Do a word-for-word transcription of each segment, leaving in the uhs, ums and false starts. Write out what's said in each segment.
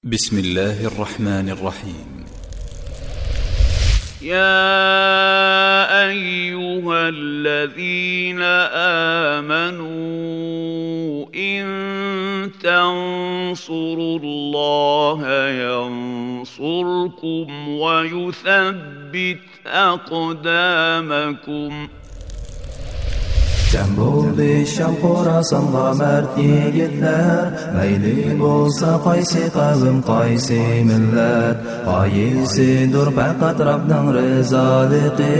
بسم الله الرحمن الرحيم. يا أيها الذين آمنوا إن تنصروا الله ينصركم ويثبت أقدامكم. جەم بولدى شام خوراسانغا مەرد يىگىتلەر، مەيلى بولسا قايسى قەۋم، قايسى مىللەت، غايىسىدۇر پەقەت رەبنىڭ رىزالىقى.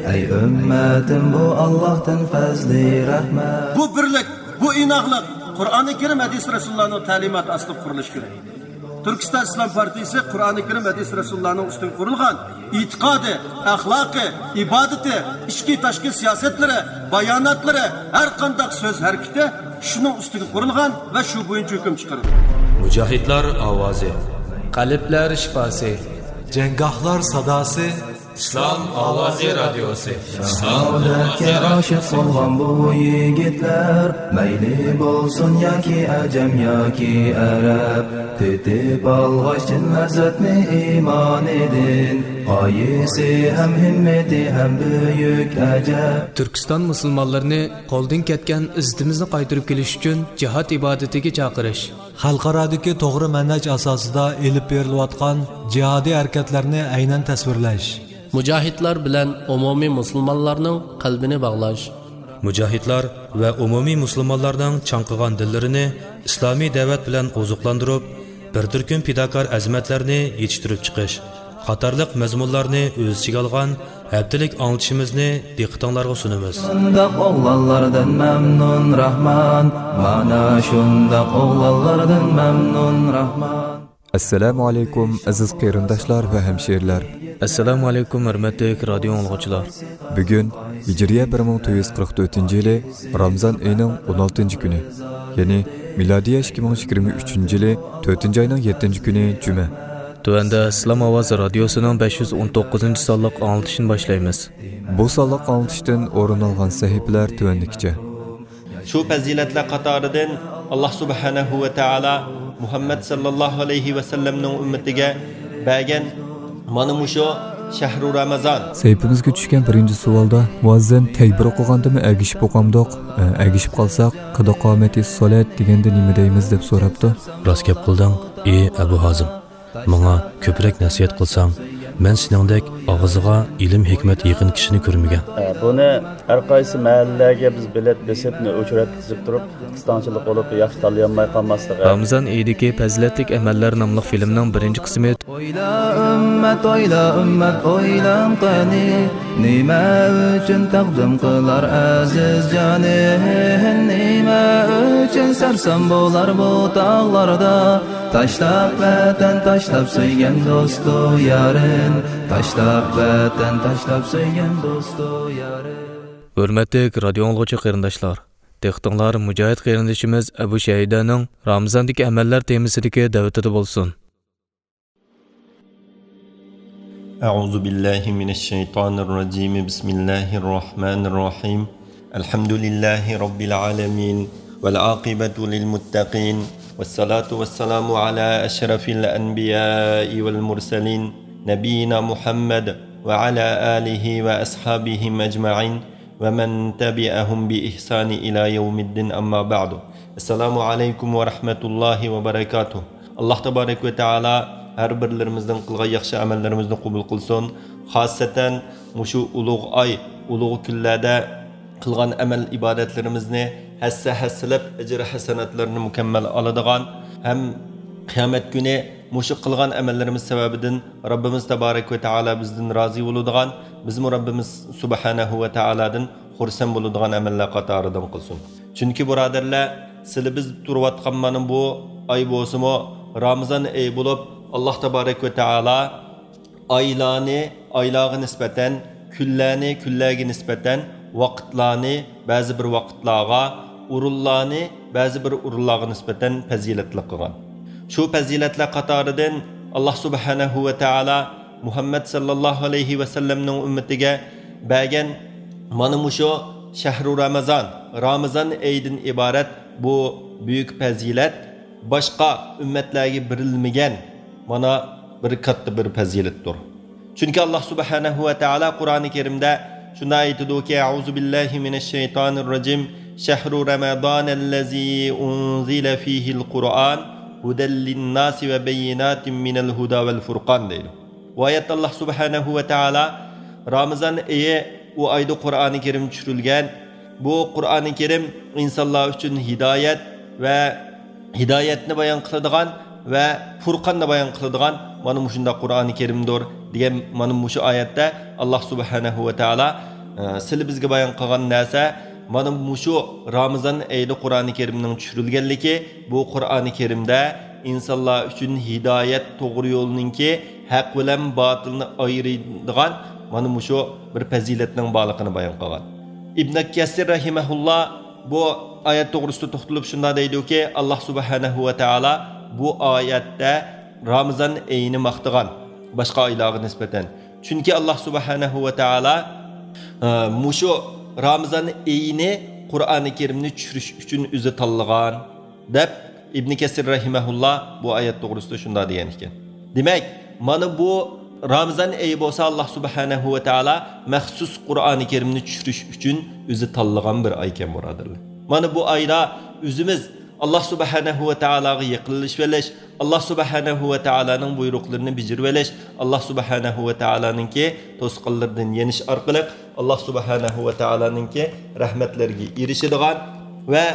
ئەي ئۈممەتىم، بۇ ئاللاھتىن پەزلى رەھمەت. بۇ بىرلىك، بۇ ئىناقلىق قۇرئانى كەرىم، ھەدىس رەسۇلۇللانىڭ تەلىماتى ئاستىدا قۇرۇلۇشى كېرەك. تۈركىستان ئىسلام پارتىيىسى قۇرئانى كەرىم، ھەدىس رەسۇلۇللانىڭ ئۈستىگە قۇرۇلغان ئېتىقادى، ئەخلاقى، ئىبادىتى، ئىچكى تاشقى سىياسەتلىرى، باياناتلىرى، ھەر قانداق سۆز ھەرىكىتى شۇنىڭ ئۈستىگە قۇرۇلغان ۋە شۇ بويىچە ھۆكۈم چىقىرىدۇ. مۇجاھىدلار ئاۋازى. قەلبلەر شىپاسى. جەڭگاھلار ساداسى. ئىسلام ئاۋازى رادىيوسى. شاھادەتكە ئاشىق بولغان بۇ يىگىتلەر، مەيلى بولسۇن ياكى ئەجەم ياكى ئەرەب، تېتىپ ئالغاچ چىن لەززەتنى ئىمانىدىن، غايىسى ھەم ھىممىتى ھەم بۈيۈك ئەجەب. تۈركىستان مۇسۇلمانلىرىنى قولدىن كەتكەن ئىززىتىمىزنى قايتۇرۇپ كېلىش ئۈچۈن جىھاد ئىبادىتىگە چاقىرىش. خەلقئارادىكى توغرا مەنھەج ئاساسىدا ئېلىپ بېرىلىۋاتقان جىھادىي ھەرىكەتلەرنى ئەينەن تەسۋىرلەش. مۇجاھىدلار بىلەن ئومۇمىي مۇسۇلمانلارنىڭ قەلبىنى باغلاش. مۇجاھىدلار ۋە ئومۇمىي مۇسۇلمانلارنىڭ چاڭقىغان دىللىرىنى ئىسلامىي دەۋەت بىلەن ئوزۇقلاندۇرۇپ، بىر تۈركۈم پىداكار ئەزىمەتلەرنى يېتىشتۈرۈپ چىقىش قاتارلىق مەزمۇنلارنى ئۆز ئىچىگە ئالغان ھەپتىلىك ئاڭلىتىشىمىزنى دىققىتىڭلارغا سۇنىمىز. شۇنداق ئوغلانلاردىن مەمنۇن راھمان، مانا شۇنداق ئوغلانلاردىن مەمنۇن راھمان. ئەسسالامۇ ئەلەيكۇم، ئەزىز قېرىنداشلار ۋە ھەمشىرىلەر. ئەسسالامۇ ئەلەيكۇم، ھۆرمەتلىك رادىيو ئاڭلىغۇچىلار. بۈگۈن ھىجرىيە بىر مىڭ تۆت يۈز قىرىق تۆتىنچى يىلى رامىزان ئېيىنىڭ ئون ئالتىنچى كۈنى، يەنى مىلادىيە ئىككى مىڭ يىگىرمە ئۈچىنچى يىلى تۆتىنچى ئاينىڭ يەتتىنچى كۈنى جۈمە. تۆۋەندە ئىسلام ئاۋازى رادىيوسىنىڭ بەش يۈز ئون توققۇزىنچى سانلىق ئاڭلىتىشىنى باشلايمىز. بۇ سانلىق ئاڭلىتىشتىن ئورۇن ئالغان سەھىپىلەر تۆۋەندىكىچە. شۇ پەزىلەتلەر قاتارىدىن، ئاللا سۇبھانەھۇ ۋە تائالا مۇھەممەد ساللاللاھۇ ئەلەيھى ۋەسەللەمنىڭ ئۈممىتىگە بەرگەن مانا مۇشۇ شەھرۇ رامازان. سەھىپىمىزگە چۈشكەن بىرىنچى سوئالدا، مۇئەززىن تەكبىر ئوقۇغاندىمۇ ئەگىشىپ ئوقامدۇق؟ ئە، ئەگىشىپ قالساق، قەد قامەتىس سالات دېگەندە نېمە دەيمىز؟ دەپ سوراپتۇ. راست گەپ قىلدىڭ، ئى ئەبۇ ھازىم. ماڭا كۆپرەك نەسىھەت قىلساڭ، مەن سېنىڭدەك ئاغزىغا ئىلىم-ھېكمەت يېقىن كىشىنى كۆرمىگەن. بۇنى ھەر قايسى مەھەللىلەرگە بىز بېلەت بېسىپ، ئۇچۇر يەتكۈزۈپ تۇرۇپ، قىستاڭچىلىق بولۇپ، ياخشى تاللىيالماي قالماسلىقى. رامىزان ئېيىدىكى پەزىلەتلىك ئەمەللەر ناملىق فىلىمنىڭ بىرىنچى قىسمى. ئويلا ئۈممەت، ئويلا ئۈممەت، ئويلاڭ قېنى، نېمە ئۈچۈن تەقدىم قىلار ئەزىز جانى؟ نېمە ئۈچۈن سەرسان بولار بۇ تاغلاردا؟ تاشلاپ ۋەتەن، تاشلاپ سۆيگەن دوستۇ يارىن، تاشلاپ ۋەتەن، تاشلاپ سۆيگەن دوستۇ يارىن. ھۆرمەتلىك رادىيو ئاڭلىغۇچى قېرىنداشلار، دىققىتىڭلار مۇجاھىد قېرىندىشىمىز ئەبۇ شەھىدەنىڭ رامىزاندىكى ئەمەللەر تېمىسىدىكى دەۋىتىدە بولسۇن. أعوذ بالله من الشيطان الرجيم. بسم الله الرحمن الرحيم. الحمد لله رب العالمين، والعاقبة للمتقين، والصلاة والسلام على أشرف الأنبياء والمرسلين، نبينا محمد وعلى آله وأصحابهم أجمعين، ومن تبعهم بإحسان إلى يوم الدين، أما بعد. السلام عليكم ورحمة الله وبركاته. ئاللا تابارەك ۋە تائالا ھەر بىرلىرىمىزنىڭ قىلغان ياخشى ئەمەللىرىمىزنى قوبۇل قىلسۇن. خاسسەتەن مۇشۇ ئۇلۇغ ئاي، ئۇلۇغ كۈنلەردە قىلغان ئەمەل ئىبادەتلىرىمىزنى ھەسسە-ھەسسىلەپ ئەجىر-ھەسەناتلىرىنى مۇكەممەل ئالىدىغان ھەم قىيامەت كۈنى مۇشۇ قىلغان ئەمەللىرىمىز سەۋەبىدىن رەببىمىز تابارەك ۋە تائالا بىزدىن رازى بولىدىغان، بىزمۇ رەببىمىز سۇبھانەھۇ ۋە تائالادىن خۇرسەن بولىدىغان ئەمەللەر قاتارىدىن قىلسۇن. چۈنكى بۇرادەرلەر، سىلى بىز تۇرۇۋاتقان مانا بۇ ئاي بولسىمۇ رامىزان ئېيى بولۇپ، ئاللا تابارەك ۋە تائالا ئايلارنى ئايلارغا نىسبەتەن، كۈنلەرنى كۈنلەرگە نىسبەتەن، ۋاقىتلارنى بەزى بىر ۋاقىتلارغا، ئورۇنلارنى بەزى بىر ئورۇنلارغا نىسبەتەن پەزىلەتلىك قىلغان. شۇ پەزىلەتلەر قاتارىدىن ئاللا سۇبھانەھۇ ۋە تائالا مۇھەممەد ساللاللاھۇ ئەلەيھى ۋەسەللەمنىڭ ئۈممىتىگە بەرگەن مانا مۇشۇ شەھرۇ رامىزان، رامىزان ئېيىدىن ئىبارەت بۇ بۈيۈك پەزىلەت، باشقا ئۈممەتلەرگە بېرىلمىگەن، مانا، بىر كاتتا بىر پەزىلەتتۇر. چۈنكى ئاللاھ سۇبھانەھۇ ۋە تائالا قۇرئانى كەرىمدە شۇنداق ئېيتىدۇكى، أعوذ بالله من الشيطان الرجيم، شهر رمضان الذي أنزل فيه القرآن هدى للناس وبينات من الهدى والفرقان دەيدۇ. بۇ ئايەتتە ئاللاھ سۇبھانەھۇ ۋە تائالا رامىزان ئېيى، ئۇ ئايدا قۇرئانى كەرىم چۈشۈرۈلگەن، بۇ قۇرئانى كەرىم ئىنسانلار ئۈچۈن ھىدايەت ۋە ھىدايەتنى بايان قىلىدىغان ۋە پۇرقاننى بايان قىلىدىغان مانا مۇشۇنداق قۇرئانى كەرىمدۇر دېگەن مانا مۇشۇ ئايەتتە ئاللاھ سۇبھانەھۇ ۋە تائالا، ئە، سىلى بىزگە بايان قىلغان نەرسە مانا مۇشۇ رامىزان ئېيىدا قۇرئانى كەرىمنىڭ چۈشۈرۈلگەنلىكى، بۇ قۇرئانى كەرىمدە ئىنسانلار ئۈچۈن ھىدايەت، توغرا يولنىڭكى، ھەق بىلەن باتىلنى ئايرىيدىغان مانا مۇشۇ بىر پەزىلەتنىڭ بارلىقىنى بايان قىلغان. ئىبن كەسىر رەھىمەھۇللا بۇ ئايەت توغرىسىدا توختىلىپ شۇنداق دەيدۇكى، ئاللاھ سۇبھانەھۇ ۋە تائالا بۇ ئايەتتە رامىزان ئېيىنى ماختىغان باشقا ئايلارغا نىسبەتەن. چۈنكى ئاللاھ سۇبھانەھۇ ۋە تائالا، ئە، مۇشۇ رامىزان ئېيىنى قۇرئانى كەرىمنى چۈشۈرۈش ئۈچۈن ئۆزى تاللىغان، دەپ ئىبن كەسىر رەھىمەھۇللا بۇ ئايەت توغرىسىدا شۇنداق دېگەن ئىكەن. دېمەك، مانا بۇ رامىزان ئېيى بولسا ئاللاھ سۇبھانەھۇ ۋە تائالا مەخسۇس قۇرئانى كەرىمنى چۈشۈرۈش ئۈچۈن ئۆزى تاللىغان بىر ئاي ئىكەن، بۇرادەرلەر. مانا بۇ ئايدا ئۆزىمىز ئاللاھ سۇبھانەھۇ ۋە تائالاغا يېقىنلىشىۋېلىش، ئاللاھ سۇبھانەھۇ ۋە تائالانىڭ بۇيرۇقلىرىنى بېجىرىۋېلىش، ئاللاھ سۇبھانەھۇ ۋە تائالانىڭكى توسقانلىرىدىن يېنىش ئارقىلىق ئاللاھ سۇبھانەھۇ ۋە تائالانىڭكى رەھمەتلىرىگە ئېرىشىدىغان ۋە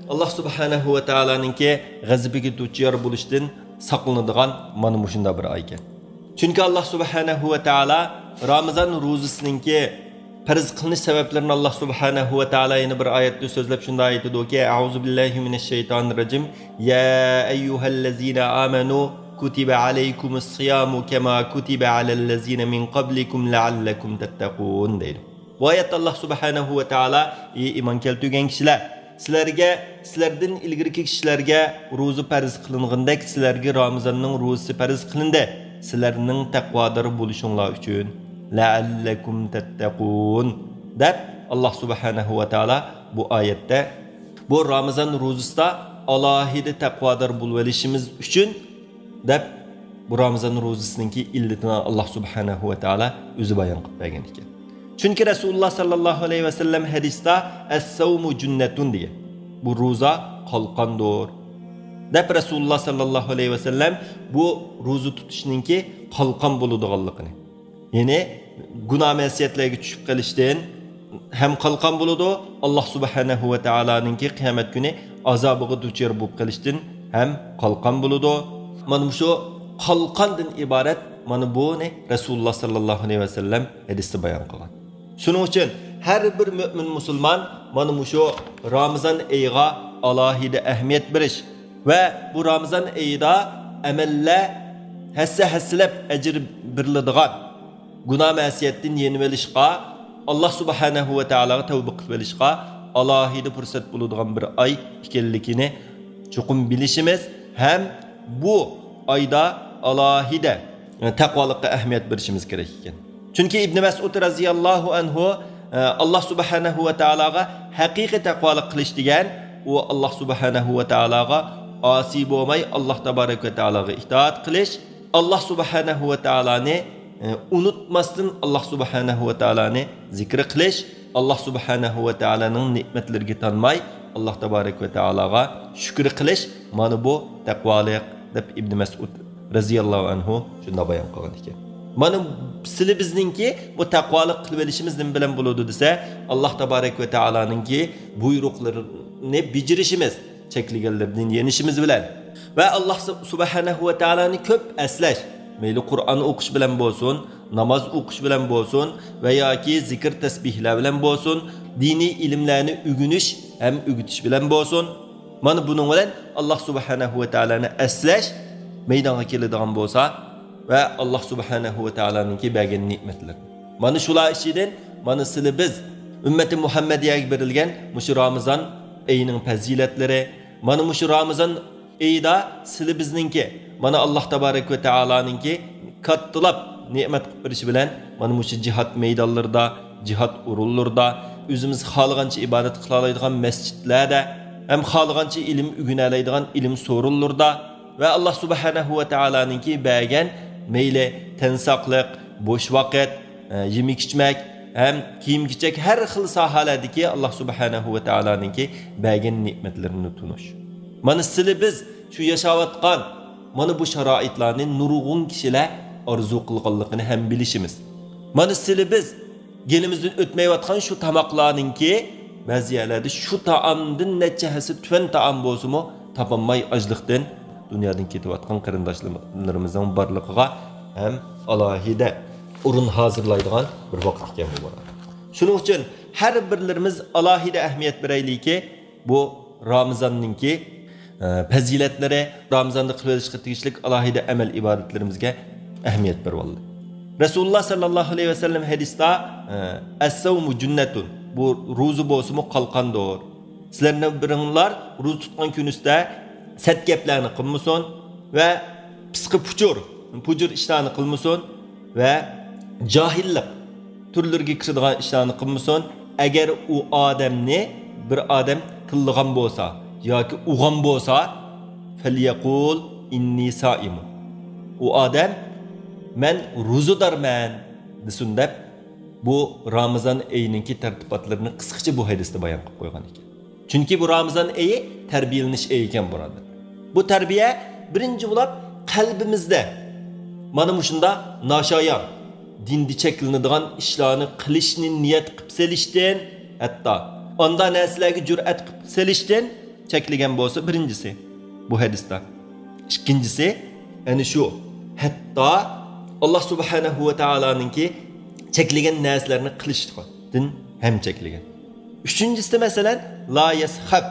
ئاللاھ سۇبھانەھۇ ۋە تائالانىڭكى غەزىپىگە دۇچار بولۇشتىن ساقلىنىدىغان مانا مۇشۇنداق بىر ئاي ئىكەن. چۈنكى ئاللاھ سۇبھانەھۇ ۋە تائالا رامىزان روزىسىنىڭكى پەرز قىلىنىش سەۋەبلىرىنى ئاللاھ سۇبھانەھۇ ۋە تائالا يەنە بىر ئايەتتە سۆزلەپ شۇنداق ئېيتىدۇكى، أعوذ بالله من الشيطان الرجيم، يا أيها الذين آمنوا كتب عليكم الصيام كما كتب على الذين من قبلكم لعلكم تتقون دەيدۇ. بۇ ئايەتتە ئاللاھ سۇبھانەھۇ ۋە تائالا، ئى ئىمان كەلتۈرگەن كىشىلەر، سىلەرگە، سىلەردىن ئىلگىرىكى كىشىلەرگە روزا پەرز قىلىنغىنىدەك سىلەرگە رامىزاننىڭ روزىسى پەرز قىلىندى، سىلەرنىڭ تەقۋادار بولۇشۇڭلار ئۈچۈن، لەئەللەكۇم تەتتەقۇن، دەپ ئاللاھ سۇبھانەھۇ ۋە تائالا بۇ ئايەتتە بۇ رامىزان روزىسىدا ئالاھىدە تەقۋادار بولۇۋېلىشىمىز ئۈچۈن دەپ، بۇ رامىزان روزىسىنىڭكى ئىللىتىنى ئاللاھ سۇبھانەھۇ ۋە تائالا ئۆزى بايان قىلىپ بەرگەن ئىكەن. چۈنكى رەسۇلۇللاھ ساللاللاھۇ ئەلەيھى ۋەسەللەم ھەدىستە، الصوم جنة دېگەن. بۇ روزا قالقاندۇر، دەپ رەسۇلۇللاھ ساللاللاھۇ ئەلەيھى ۋەسەللەم بۇ روزا تۇتۇشنىڭكى قالقان بولىدىغانلىقىنى، يەنى گۇناھ مەسىيەتلەرگە چۈشۈپ قېلىشتىن ھەم قالقان بولىدۇ، ئاللاھ سۇبھانەھۇ ۋە تائالانىڭكى قىيامەت كۈنى ئازابىغا دۇچار بولۇپ قېلىشتىن ھەم قالقان بولىدۇ. مانا مۇشۇ قالقاندىن ئىبارەت، مانا بۇنى رەسۇلۇللاھ ساللاللاھۇ ئەلەيھى ۋەسەللەم ھەدىستە بايان قىلغان. شۇنىڭ ئۈچۈن ھەر بىر مۆمىن مۇسۇلمان مانا مۇشۇ رامىزان ئېيىغا ئالاھىدە ئەھمىيەت بېرىش ۋە بۇ رامىزان ئېيىدا ئەمەللەر ھەسسە-ھەسسىلەپ ئەجىر بېرىلىدىغان، گۇناھ مەسىيەتتىن يېنىۋېلىشقا، ئاللاھ سۇبھانەھۇ ۋە تائالاغا تەۋبە قىلىۋېلىشقا ئالاھىدە پۇرسەت بولىدىغان بىر ئاي ئىكەنلىكىنى چوقۇم بىلىشىمىز ھەم بۇ ئايدا ئالاھىدە، ئە، تەقۋالىققا ئەھمىيەت بېرىشىمىز كېرەك ئىكەن. چۈنكى ئىبنى مەسئۇد رەزىياللاھۇ ئەنھۇ، ئە، ئاللاھ سۇبھانەھۇ ۋە تائالاغا ھەقىقىي تەقۋالىق قىلىش دېگەن، ئۇ ئاللاھ سۇبھانەھۇ ۋە تائالاغا ئاسىي بولماي، ئاللاھ تابارەك ۋە تائالاغا ئىتائەت قىلىش، ئاللاھ سۇبھانەھۇ ۋە تائالانى، ئە، ئۇنتۇماستىن ئاللاھ سۇبھانەھۇ ۋە تائالانى زىكىر قىلىش، ئاللاھ سۇبھانەھۇ ۋە تائالانىڭ نېمەتلىرىگە تانماي، ئاللاھ تابارەك ۋە تائالاغا شۈكۈر قىلىش، مانا بۇ تەقۋالىق، دەپ ئىبنى مەسئۇد رەزىياللاھۇ ئەنھۇ شۇنداق بايان قىلغان ئىكەن. مانا سىلى بىزنىڭكى بۇ تەقۋالىق قىلىۋېلىشىمىز نېمە بىلەن بولىدۇ دېسە، ئاللاھ تابارەك ۋە تائالانىڭكى بۇيرۇقلىرىنى بېجىرىشىمىز، چەكلىگەنلىرىدىن يېنىشىمىز بىلەن ۋە ئاللاھ سۇ-، سۇبھانەھۇ ۋە تائالانى كۆپ ئەسلەش، مەيلى قۇرئان ئوقۇش بىلەن بولسۇن، ناماز ئوقۇش بىلەن بولسۇن ۋە ياكى زىكىر تەسبىھلەر بىلەن بولسۇن، دىنىي ئىلىملەرنى ئۆگىنىش ھەم ئۆگىتىش بىلەن بولسۇن. مانا بۇنىڭ بىلەن ئاللاھ سۇبھانەھۇ ۋە تائالانى ئەسلەش مەيدانغا كېلىدىغان بولسا ۋە ئاللاھ سۇبھانەھۇ ۋە تائالانىڭكى بەرگەن نېمەتلىرى. مانا شۇلار ئىچىدىن مانا سىلى بىز ئۈممەتى مۇھەممەدىيەگە بېرىلگەن مۇشۇ رامىزان ئېيىنىڭ پەزىلەتلىرى، مانا مۇشۇ رامىزان ئېيىدا سىلى بىزنىڭكى، مانا ئاللاھ تابارەك ۋە تائالانىڭكى كاتتىلاپ نېمەت قىلىپ بېرىشى بىلەن، مانا مۇشۇ جىھاد مەيدانلىرىدا، جىھاد ئورۇنلىرىدا، ئۆزىمىز خالىغانچە ئىبادەت قىلالايدىغان مەسچىتلەردە، ھەم خالىغانچە ئىلىم ئۆگىنەلەيدىغان ئىلىم سورۇنلىرىدا ۋە ئاللا سۇبھانەھۇ ۋە تائالانىڭكى بەرگەن مەيلى تەن ساقلىق، بوش ۋاقىت، ئە، يېمەك ئىچمەك ھەم كىيىم كېچەك ھەر خىل ساھەلەردىكى ئاللا سۇبھانەھۇ ۋە تائالانىڭكى بەرگەن نېمەتلىرىنى تونۇش. مانا سىلى بىز شۇ ياشاۋاتقان مانا بۇ شارائىتلارنى نۇرغۇن كىشىلەر ئارزۇ قىلغانلىقىنى ھەم بىلىشىمىز. مانا سىلى بىز گېلىمىزدىن ئۆتمەيۋاتقان شۇ تاماقلارنىڭكى بەزى يەرلەردە شۇ تائامدىن نەچچە ھەسسە تۆۋەن تائام بولسىمۇ تاپالماي ئاجلىقتىن دۇنيادىن كېتىۋاتقان قېرىنداشلىرىمىزنىڭ بارلىقىغا ھەم ئالاھىدە ئورۇن ھازىرلايدىغان بىر ۋاقىت ئىكەن بۇ بۇرا. شۇنىڭ ئۈچۈن ھەر بىرلىرىمىز ئالاھىدە ئەھمىيەت بېرەيلىكى، بۇ رامىزاننىڭكى، ئە، پەزىلەتلىرى، رامىزاندا قىلىۋېلىشقا تېگىشلىك ئالاھىدە ئەمەل ئىبادەتلىرىمىزگە ئەھمىيەت بېرىۋالدى. رەسۇلۇللا ساللاللاھۇ ئەلەيھى ۋەسەللەم ھەدىستە، ئە، «ئەسسەۋمۇ جۇننەتۇن»، بۇ روزا بولسىمۇ قالقاندۇر. سىلەرنىڭ بىرىڭلار روزا تۇتقان كۈنىسىدە سەت گەپلەرنى قىلمىسۇن ۋە پىسقى پۇچۇر، پۇجۇر ئىشلارنى قىلمىسۇن ۋە جاھىللىق تۈرلىرىگە كىرىدىغان ئىشلارنى قىلمىسۇن. ئەگەر ئۇ ئادەمنى بىر ئادەم تىللىغان بولسا ياكى ئۇغان بولسا، «فەليەقۇل ئىننى سائىمۇن»، ئۇ ئادەم «مەن روزىدارمەن» دېسۇن دەپ، بۇ رامىزان ئېيىنىڭكى تەرتىپاتلىرىنى قىسقىچە بۇ ھەدىستە بايان قىلىپ قويغان ئىكەن. چۈنكى بۇ رامىزان ئېيى تەربىيەلىنىش ئېيى ئىكەن، بۇرادەر. بۇ تەربىيە بىرىنچى بولۇپ قەلبىمىزدە مانا مۇشۇنداق ناشايان، دىندا چەكلىنىدىغان ئىشلارنى قىلىشنى نىيەت قىلىپ سېلىشتىن، ھەتتا ئانداق نەرسىلەرگە جۈرئەت قىلىپ سېلىشتىن چەكلىگەن بولسا، بىرىنچىسى بۇ ھەدىستە. ئىككىنچىسى، ئەنە شۇ، ھەتتا ئاللا سۇبھانەھۇ ۋە تائالانىڭكى چەكلىگەن نەرسىلەرنى قىلىشتىن ھەم چەكلىگەن. ئۈچىنچىسى، مەسىلەن، «لا يەسخەب»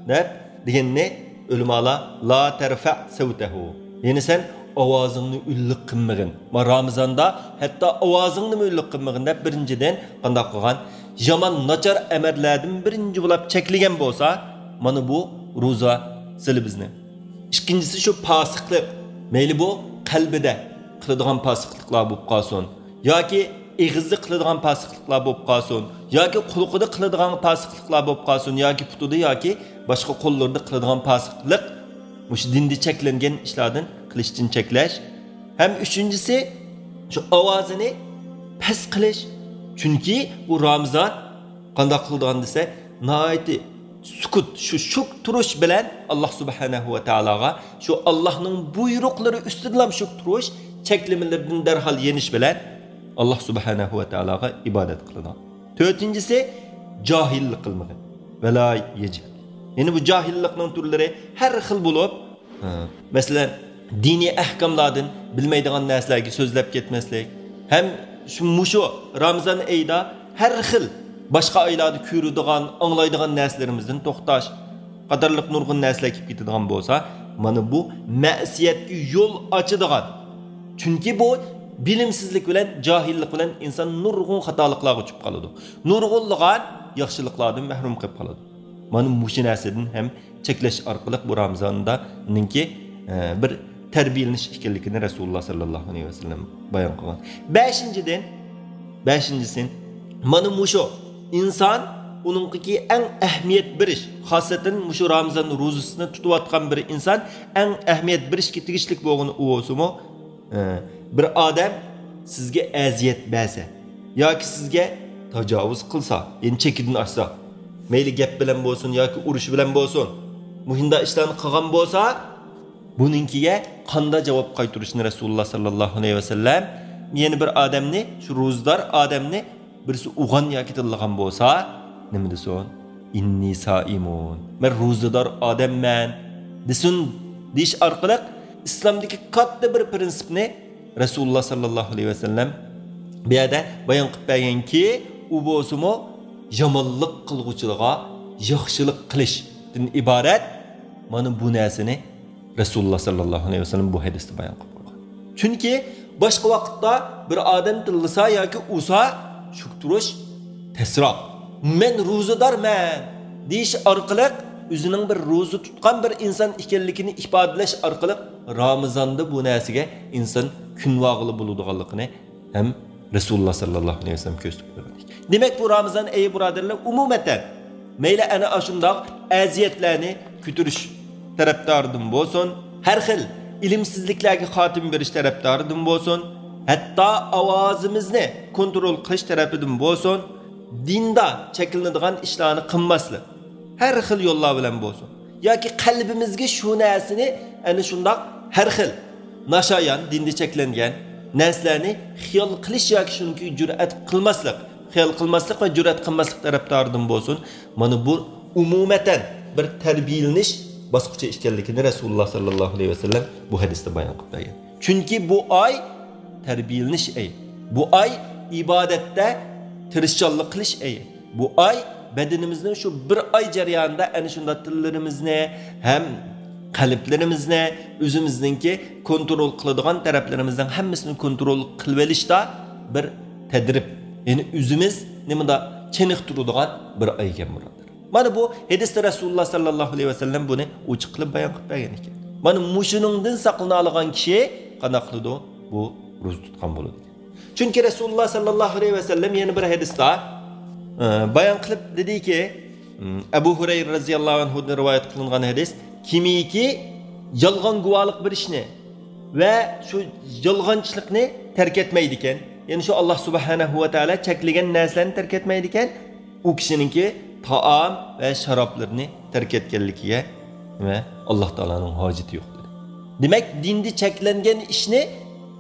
دەپ دېگەننى ئۆلىمالار «لا تەرفەئ سەۋتەھۇ»، يەنى سەن ئاۋازىڭنى ئۈنلۈك قىلمىغىن. ما رامىزاندا ھەتتا ئاۋازىڭنىمۇ ئۈنلۈك قىلمىغىن دەپ، بىرىنچىدىن، قانداق قىلغان؟ يامان، ناچار ئەمەللەردىن بىرىنچى بولاپ چەكلىگەن بولسا، مانا بۇ روزا سىلى بىزنى. ئىككىنچىسى شۇ پاسىقلىق. مەيلى بۇ قەلبىدە قىلىدىغان پاسىقلىقلار بولۇپ قالسۇن، ياكى ئېغىزدا قىلىدىغان پاسىقلىقلار بولۇپ قالسۇن، ياكى قۇلىقىدا قىلىدىغان پاسىقلىقلار بولۇپ قالسۇن، ياكى پۇتىدا ياكى باشقا قوللىرىدا قىلىدىغان پاسىقلىق، مۇشۇ دىندا چەكلەنگەن ئىشلاردىن قىلىشتىن چەكلەش. ھەم ئۈچىنچىسى، شۇ ئاۋازىنى پەس قىلىش. چۈنكى بۇ رامىزان قانداق قىلىدىغان دېسە، ناھايىتى سۈكۈت، شۇ شۈك تۇرۇش بىلەن ئاللا سۇبھانەھۇ ۋە تائالاغا، شۇ ئاللانىڭ بۇيرۇقلىرى ئۈستىدىلا شۈك تۇرۇش، چەكلىمىلىرىدىن دەرھال يېنىش بىلەن ئاللا سۇبھانەھۇ ۋە تائالاغا ئىبادەت قىلىدۇ. تۆتىنچىسى، جاھىللىق قىلمىغىن. ۋەلا يەجھەل. يەنى بۇ جاھىللىقنىڭ تۈرلىرى ھەر خىل بولۇپ، ھە، مەسىلەن، دىنىي ئەھكاملاردىن بىلمەيدىغان نەرسىلەرگە سۆزلەپ كەتمەسلىك ھەم شۇ، مۇشۇ رامىزان ئېيىدا ھەر خىل باشقا ئايلاردا كۆرىدىغان، ئاڭلايدىغان نەرسىلىرىمىزدىن توختاش قاتارلىق نۇرغۇن نەرسىلەر كېلىپ كېتىدىغان بولسا، مانا بۇ مەسىيەتكە يول ئاچىدىغان. چۈنكى بۇ بىلىمسىزلىك بىلەن، جاھىللىق بىلەن ئىنسان نۇرغۇن خاتالىقلارغا چۈشۈپ قالىدۇ. نۇرغۇنلىغان ياخشىلىقلاردىن مەھرۇم قېلىپ قالىدۇ. مانا مۇشۇ نەرسىدىن ھەم چەكلەش ئارقىلىق بۇ رامىزاندا نىڭكى، ئە، بىر تەربىيەلىنىش ئىكەنلىكىنى رەسۇلۇللا ساللاللاھۇ ئەلەيھى ۋەسەللەم بايان قىلغان. بەشىنچىدىن، بەشىنچىسى، مانا مۇشۇ ئىنسان ئۇنىڭغىكى ئەڭ ئەھمىيەت بېرىش، خاسەتەن مۇشۇ رامىزان روزىسىنى تۇتۇۋاتقان بىر ئىنسان ئەڭ ئەھمىيەت بېرىشكە تېگىشلىك بولغىنى ئۇ بولسىمۇ، ئە، بىر ئادەم سىزگە ئەزىيەت بەرسە ياكى سىزگە تاجاۋۇز قىلسا، يەنى چېكىدىن ئاشسا، مەيلى گەپ بىلەن بولسۇن ياكى ئۇرۇش بىلەن بولسۇن، مۇشۇنداق ئىشلارنى قىلغان بولسا، بۇنىڭكىگە قانداق جاۋاب قايتۇرۇشنى رەسۇلۇللا ساللاللاھۇ ئەلەيھى ۋەسەللەم، يەنى بىر ئادەمنى، شۇ روزىدار ئادەمنى بىرسى ئۇغان ياكى تىللىغان بولسا، نېمە دېسۇن؟ «ئىننى سائىمۇن، مەن روزىدار ئادەممەن» دېسۇن، دېيىش ئارقىلىق ئىسلامدىكى كاتتا بىر پرىنسىپنى رەسۇلۇللا ساللاللاھۇ ئەلەيھى ۋەسەللەم بۇ يەردە بايان قىلىپ بەرگەنكى، ئۇ بولسىمۇ يامانلىق قىلغۇچىلارغا ياخشىلىق قىلىشتىن ئىبارەت. مانا بۇ نەرسىنى رەسۇلۇللا ساللاللاھۇ ئەلەيھى ۋەسەللەم بۇ ھەدىستە بايان قىلىپ قويغان. چۈنكى باشقا ۋاقىتتا بىر ئادەم تىللىسا ياكى ئۇرسا، شۈك تۇرۇش تەسراق. «مەن روزىدارمەن» دېيىش ئارقىلىق ئۆزىنىڭ بىر روزا تۇتقان بىر ئىنسان ئىكەنلىكىنى ئىپادىلەش ئارقىلىق رامىزاندا بۇ نەرسىگە ئىنسان كۆنۈۋالغىلى بولىدىغانلىقىنى ھەم رەسۇلۇللا ساللاللاھۇ ئەلەيھى ۋەسەللەم كۆرسىتىپ قويغان ئىكەن. دېمەك، بۇ رامىزان ئېيى، بۇرادەرلەر، ئومۇمەن مەيلى ئەنە ئاشۇنداق ئەزىيەتلەرنى كۆتۈرۈش تەرەپدارىدىن بولسۇن، ھەر خىل ئىلىمسىزلىكلەرگە خاتىمە بېرىش تەرەپدارىدىن بولسۇن، ھەتتا ئاۋازىمىزنى كونترول قىلىش تەرىپىدىن بولسۇن، دىندا چەكلىنىدىغان ئىشلارنى قىلماسلىق، ھەر خىل يوللار بىلەن بولسۇن، ياكى قەلبىمىزگە شۇ نەرسىنى ئەنە شۇنداق ھەر خىل ناشايان، دىندا چەكلەنگەن نەرسىلەرنى خىيال قىلىش ياكى شۇنىڭكى جۈرئەت قىلماسلىق، خىيال قىلماسلىق ۋە جۈرئەت قىلماسلىق تەرەپدارىدىن بولسۇن. مانا بۇ ئومۇمەن بىر تەربىيەلىنىش باسقۇچى ئىكەنلىكىنى رەسۇلۇللاھ ساللاللاھۇ ئەلەيھى ۋەسەللەم بۇ ھەدىستە بايان قىلىپ بەرگەن. چۈنكى بۇ ئاي تەربىيەلىنىش ئېيى. بۇ ئاي ئىبادەتتە تىرىشچانلىق قىلىش ئېيى. بۇ ئاي بەدىنىمىزنىڭ شۇ بىر ئاي جەريانىدا ئەنە شۇنداق تىللىرىمىزنى ھەم قەلبلىرىمىزنى، ئۆزىمىزنىڭكى كونترول قىلىدىغان تەرەپلىرىمىزنىڭ ھەممىسىنى كونترول قىلىۋېلىشتا بىر تەدرىب، يەنى ئۆزىمىزنى مۇنداق چېنىقتۇرىدىغان بىر ئاي ئىكەن، بۇرادەر. مانا بۇ ھەدىستە رەسۇلۇللاھ ساللاللاھۇ ئەلەيھى ۋەسەللەم بۇنى ئوچۇق قىلىپ بايان قىلىپ بەرگەن ئىكەن. مانا مۇشۇنىڭدىن ساقلىنالىغان كىشى قانداق قىلىدۇ؟ بۇ روزا تۇتقان بولىدۇ. چۈنكى رەسۇلۇللاھ ساللاللاھۇ ئەلەيھى ۋەسەللەم يەنە بىر ھەدىستە، ئە، بايان قىلىپ دېدىكى، ئەبۇ ھۇرەيرە رەزىياللاھۇ ئەنھۇدىن رىۋايەت قىلىنغان ھەدىس، كىمكى يالغان گۇۋاھلىق بېرىشنى ۋە شۇ يالغانچىلىقنى تەرك ئەتمەيدىكەن، يەنى شۇ ئاللاھ سۇبھانەھۇ ۋە تائالا چەكلىگەن نەرسىلەرنى تەرك ئەتمەيدىكەن، ئۇ كىشىنىڭكى تائام ۋە شارابلىرىنى تەرك ئەتكەنلىكىگە ۋە ئاللاھ تائالانىڭ ھاجىتى يوق، دېدى. دېمەك، دىندا چەكلەنگەن ئىشنى،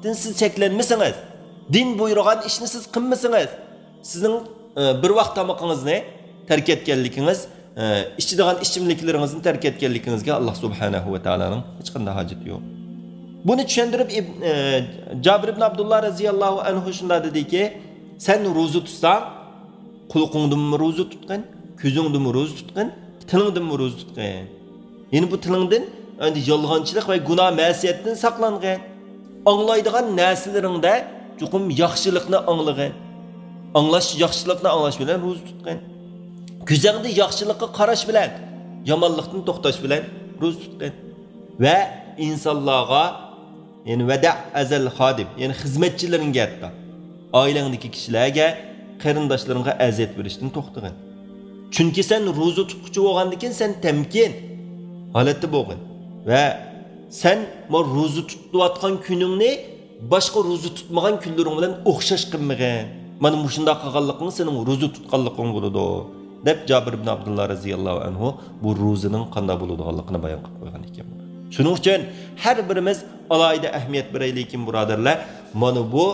دىن سىز چەكلەنمىسىڭىز، دىن بۇيرۇغان ئىشنى سىز قىلمىسىڭىز، سىزنىڭ، ئە، بىر ۋاق تامىقىڭىزنى تەرك ئەتكەنلىكىڭىز، ئە، ئىچىدىغان ئىچىملىكلىرىڭىزنى تەرك ئەتكەنلىكىڭىزگە ئاللاھ سۇبھانەھۇ ۋە تائالانىڭ ھېچقانداق ھاجىتى يوق. بۇنى چۈشەندۈرۈپ، ئىب-، ئە، جابىر ئىبن ئابدۇللا رەزىياللاھۇ ئەنھۇ شۇنداق دېدىكى، سەن روزا تۇتساڭ، قۇلىقىڭدىنمۇ روزا تۇتقىن، كۆزۈڭدىنمۇ روزا تۇتقىن، تىلىڭدىنمۇ روزا تۇتقىن. يەنى بۇ تىلىڭدىن ئەمدى يالغانچىلىق ۋە گۇناھ مەسىيەتتىن ساقلانغىن. ئاڭلايدىغان نەرسىلىرىڭدە چوقۇم ياخشىلىقنى ئاڭلىغىن. ئاڭلاش، ياخشىلىقنى ئاڭلاش بىلەن روزا تۇتقىن. كۆزۈڭدە ياخشىلىققا قاراش بىلەن، يامانلىقتىن توختاش بىلەن روزا تۇتقىن. ۋە ئىنسانلارغا، يەنى ۋەدە ئەزەل خادىم، يەنى خىزمەتچىلىرىڭگە ھەتتا، ئائىلەڭدىكى كىشىلەرگە، قېرىنداشلىرىڭغا ئەزىيەت بېرىشتىن توختىغىن. چۈنكى سەن روزا تۇتقۇچى بولغاندىكىن سەن تەمكىن ھالەتتە بولغىن. ۋە سەن بۇ روزا تۇتۇۋاتقان كۈنۈڭنى باشقا روزا تۇتمىغان كۈنلىرىڭ بىلەن ئوخشاش قىلمىغىن. مانا مۇشۇنداق قىلغانلىقىڭ سېنىڭ روزا تۇتقانلىقىڭ بولىدۇ، دەپ جابىر ئىبن ئابدۇللا رەزىياللاھۇ ئەنھۇ بۇ روزىنىڭ قانداق بولىدىغانلىقىنى بايان قىلىپ قويغان ئىكەن. شۇنىڭ ئۈچۈن ھەر بىرىمىز ئالاھىدە ئەھمىيەت بېرەيلىكىن، بۇرادەرلەر. مانا بۇ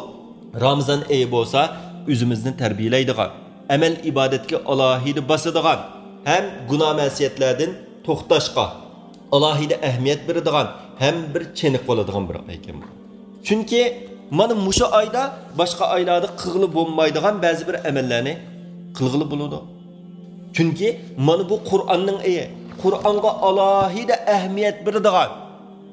رامىزان ئېيى بولسا ئۆزىمىزنى تەربىيەلەيدىغان، ئەمەل ئىبادەتكە ئالاھىدە باسىدىغان ھەم گۇناھ مەسىيەتلەردىن توختاشقا ئالاھىدە ئەھمىيەت بېرىدىغان ھەم بىر چېنىقىۋالىدىغان بىر ئاي ئىكەن بۇ. چۈنكى مانا مۇشۇ ئايدا باشقا ئايلاردا قىلغىلى بولمايدىغان بەزى بىر ئەمەللەرنى قىلغىلى بولىدۇ. چۈنكى مانا بۇ قۇرئاننىڭ ئېيى، قۇرئانغا ئالاھىدە ئەھمىيەت بېرىدىغان،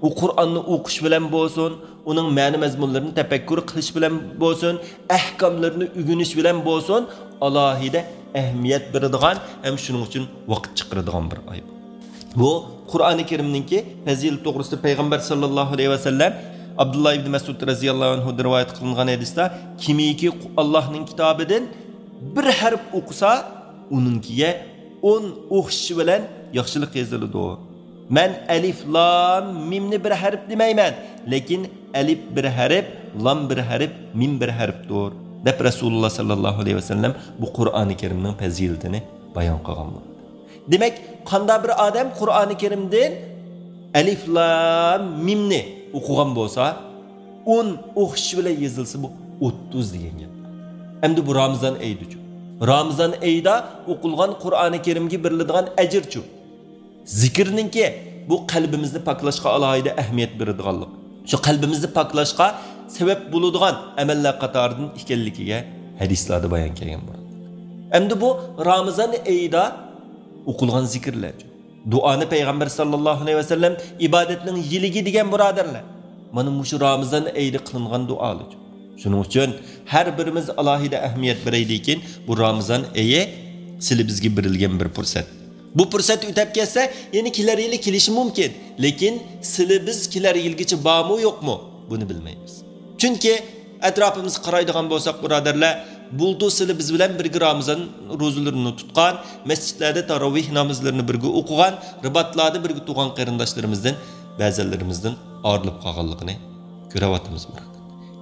ئۇ قۇرئاننى ئوقۇش بىلەن بولسۇن، ئۇنىڭ مەنە مەزمۇنلىرىنى تەپەككۇر قىلىش بىلەن بولسۇن، ئەھكاملىرىنى ئۆگىنىش بىلەن بولسۇن، ئالاھىدە ئەھمىيەت بېرىدىغان ھەم شۇنىڭ ئۈچۈن ۋاقىت چىقىرىدىغان بىر ئاي. بۇ قۇرئانى كەرىمنىڭكى پەزىلىتى توغرىسىدا پەيغەمبەر ساللاللاھۇ ئەلەيھى ۋەسەللەم ئابدۇللا ئىبنى مەسئۇد رەزىياللاھۇ ئەنھۇدىن رىۋايەت قىلىنغان ھەدىستە، كىمكى ئاللاھنىڭ كىتابىدىن بىر ھەرپ ئوقۇسا، ئۇنىڭكىگە ئون ئوخشىشى بىلەن ياخشىلىق يېزىلىدۇ. مەن ئەلىف لام مىمنى بىر ھەرپ دېمەيمەن، لېكىن ئەلىف بىر ھەرپ، لام بىر ھەرپ، مىم بىر ھەرپتۇر، دەپ رەسۇلۇللا ساللاللاھۇ ئەلەيھى ۋەسەللەم بۇ قۇرئانى كەرىمنىڭ پەزىلىتىنى بايان قىلغان بولىدۇ. دېمەك، قانداق بىر ئادەم قۇرئانى كەرىمدىن ئەلىف لام مىمنى ئوقۇغان بولسا، ئون ئوخشىشى بىلەن يېزىلسا، بۇ ئوتتۇز دېگەن گەپ. ئەمدى بۇ رامىزان ئېيىدىچۇ؟ رامىزان ئېيىدا ئوقۇلغان قۇرئانى كەرىمگە بېرىلىدىغان ئەجىرچۇ؟ زىكىرنىڭكى بۇ قەلبىمىزنى پاكلاشقا ئالاھىدە ئەھمىيەت بېرىدىغانلىق، شۇ قەلبىمىزنى پاكلاشقا سەۋەب بولىدىغان ئەمەللەر قاتارىدىن ئىكەنلىكىگە ھەدىسلەردە بايان كەلگەن بولىدۇ. ئەمدى بۇ رامىزان ئېيىدا ئوقۇلغان زىكىرلەرچۇ؟ دۇئانى پەيغەمبەر ساللاللاھۇ ئەلەيھى ۋەسەللەم ئىبادەتنىڭ يىلىكى دېگەن، بۇرادەرلەر. مانا مۇشۇ رامىزان ئېيىدا قىلىنغان دۇئالىچۇ؟ شۇنىڭ ئۈچۈن ھەر بىرىمىز ئالاھىدە ئەھمىيەت بېرەيلىكىن، بۇ رامىزان ئېيى سىلى بىزگە بېرىلگەن بىر پۇرسەت. بۇ پۇرسەت ئۆتەپ كەتسە، يەنە كېلەر يىلى كېلىشى مۇمكىن. لېكىن سىلى بىز كېلەر يىلگىچە بارمۇ، يوقمۇ؟ بۇنى بىلمەيمىز. چۈنكى ئەتراپىمىزغا قارايدىغان بولساق، بۇرادەرلەر، بۇلتۇر سىلى بىز بىلەن بىرگە رامىزان روزىلىرىنى تۇتقان، مەسچىتلەردە تاراۋىھ نامازلىرىنى بىرگە ئوقۇغان، رىباتلاردا بىرگە تۇرغان قېرىنداشلىرىمىزدىن بەزىلىرىمىزدىن ئايرىلىپ قالغانلىقىنى كۆرۈۋاتىمىز، بۇرادەر.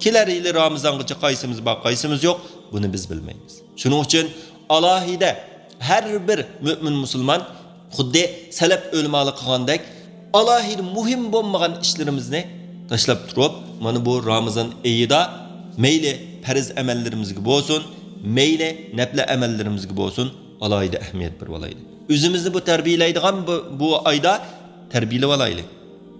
كېلەر يىلى رامىزانغىچە قايسىمىز بار، قايسىمىز يوق، بۇنى بىز بىلمەيمىز. شۇنىڭ ئۈچۈن ئالاھىدە ھەر بىر مۆمىن مۇسۇلمان خۇددى سەلەپ ئۆلىمالار قىلغاندەك ئالاھىدە مۇھىم بولمىغان ئىشلىرىمىزنى تاشلاپ تۇرۇپ، مانا بۇ رامىزان ئېيىدا مەيلى پەرز ئەمەللىرىمىزگە بولسۇن، مەيلى نەپلى ئەمەللىرىمىزگە بولسۇن، ئالاھىدە ئەھمىيەت بېرىۋالايلى. ئۆزىمىزنى بۇ تەربىيەلەيدىغان بۇ، بۇ ئايدا تەربىيەلىۋالايلى.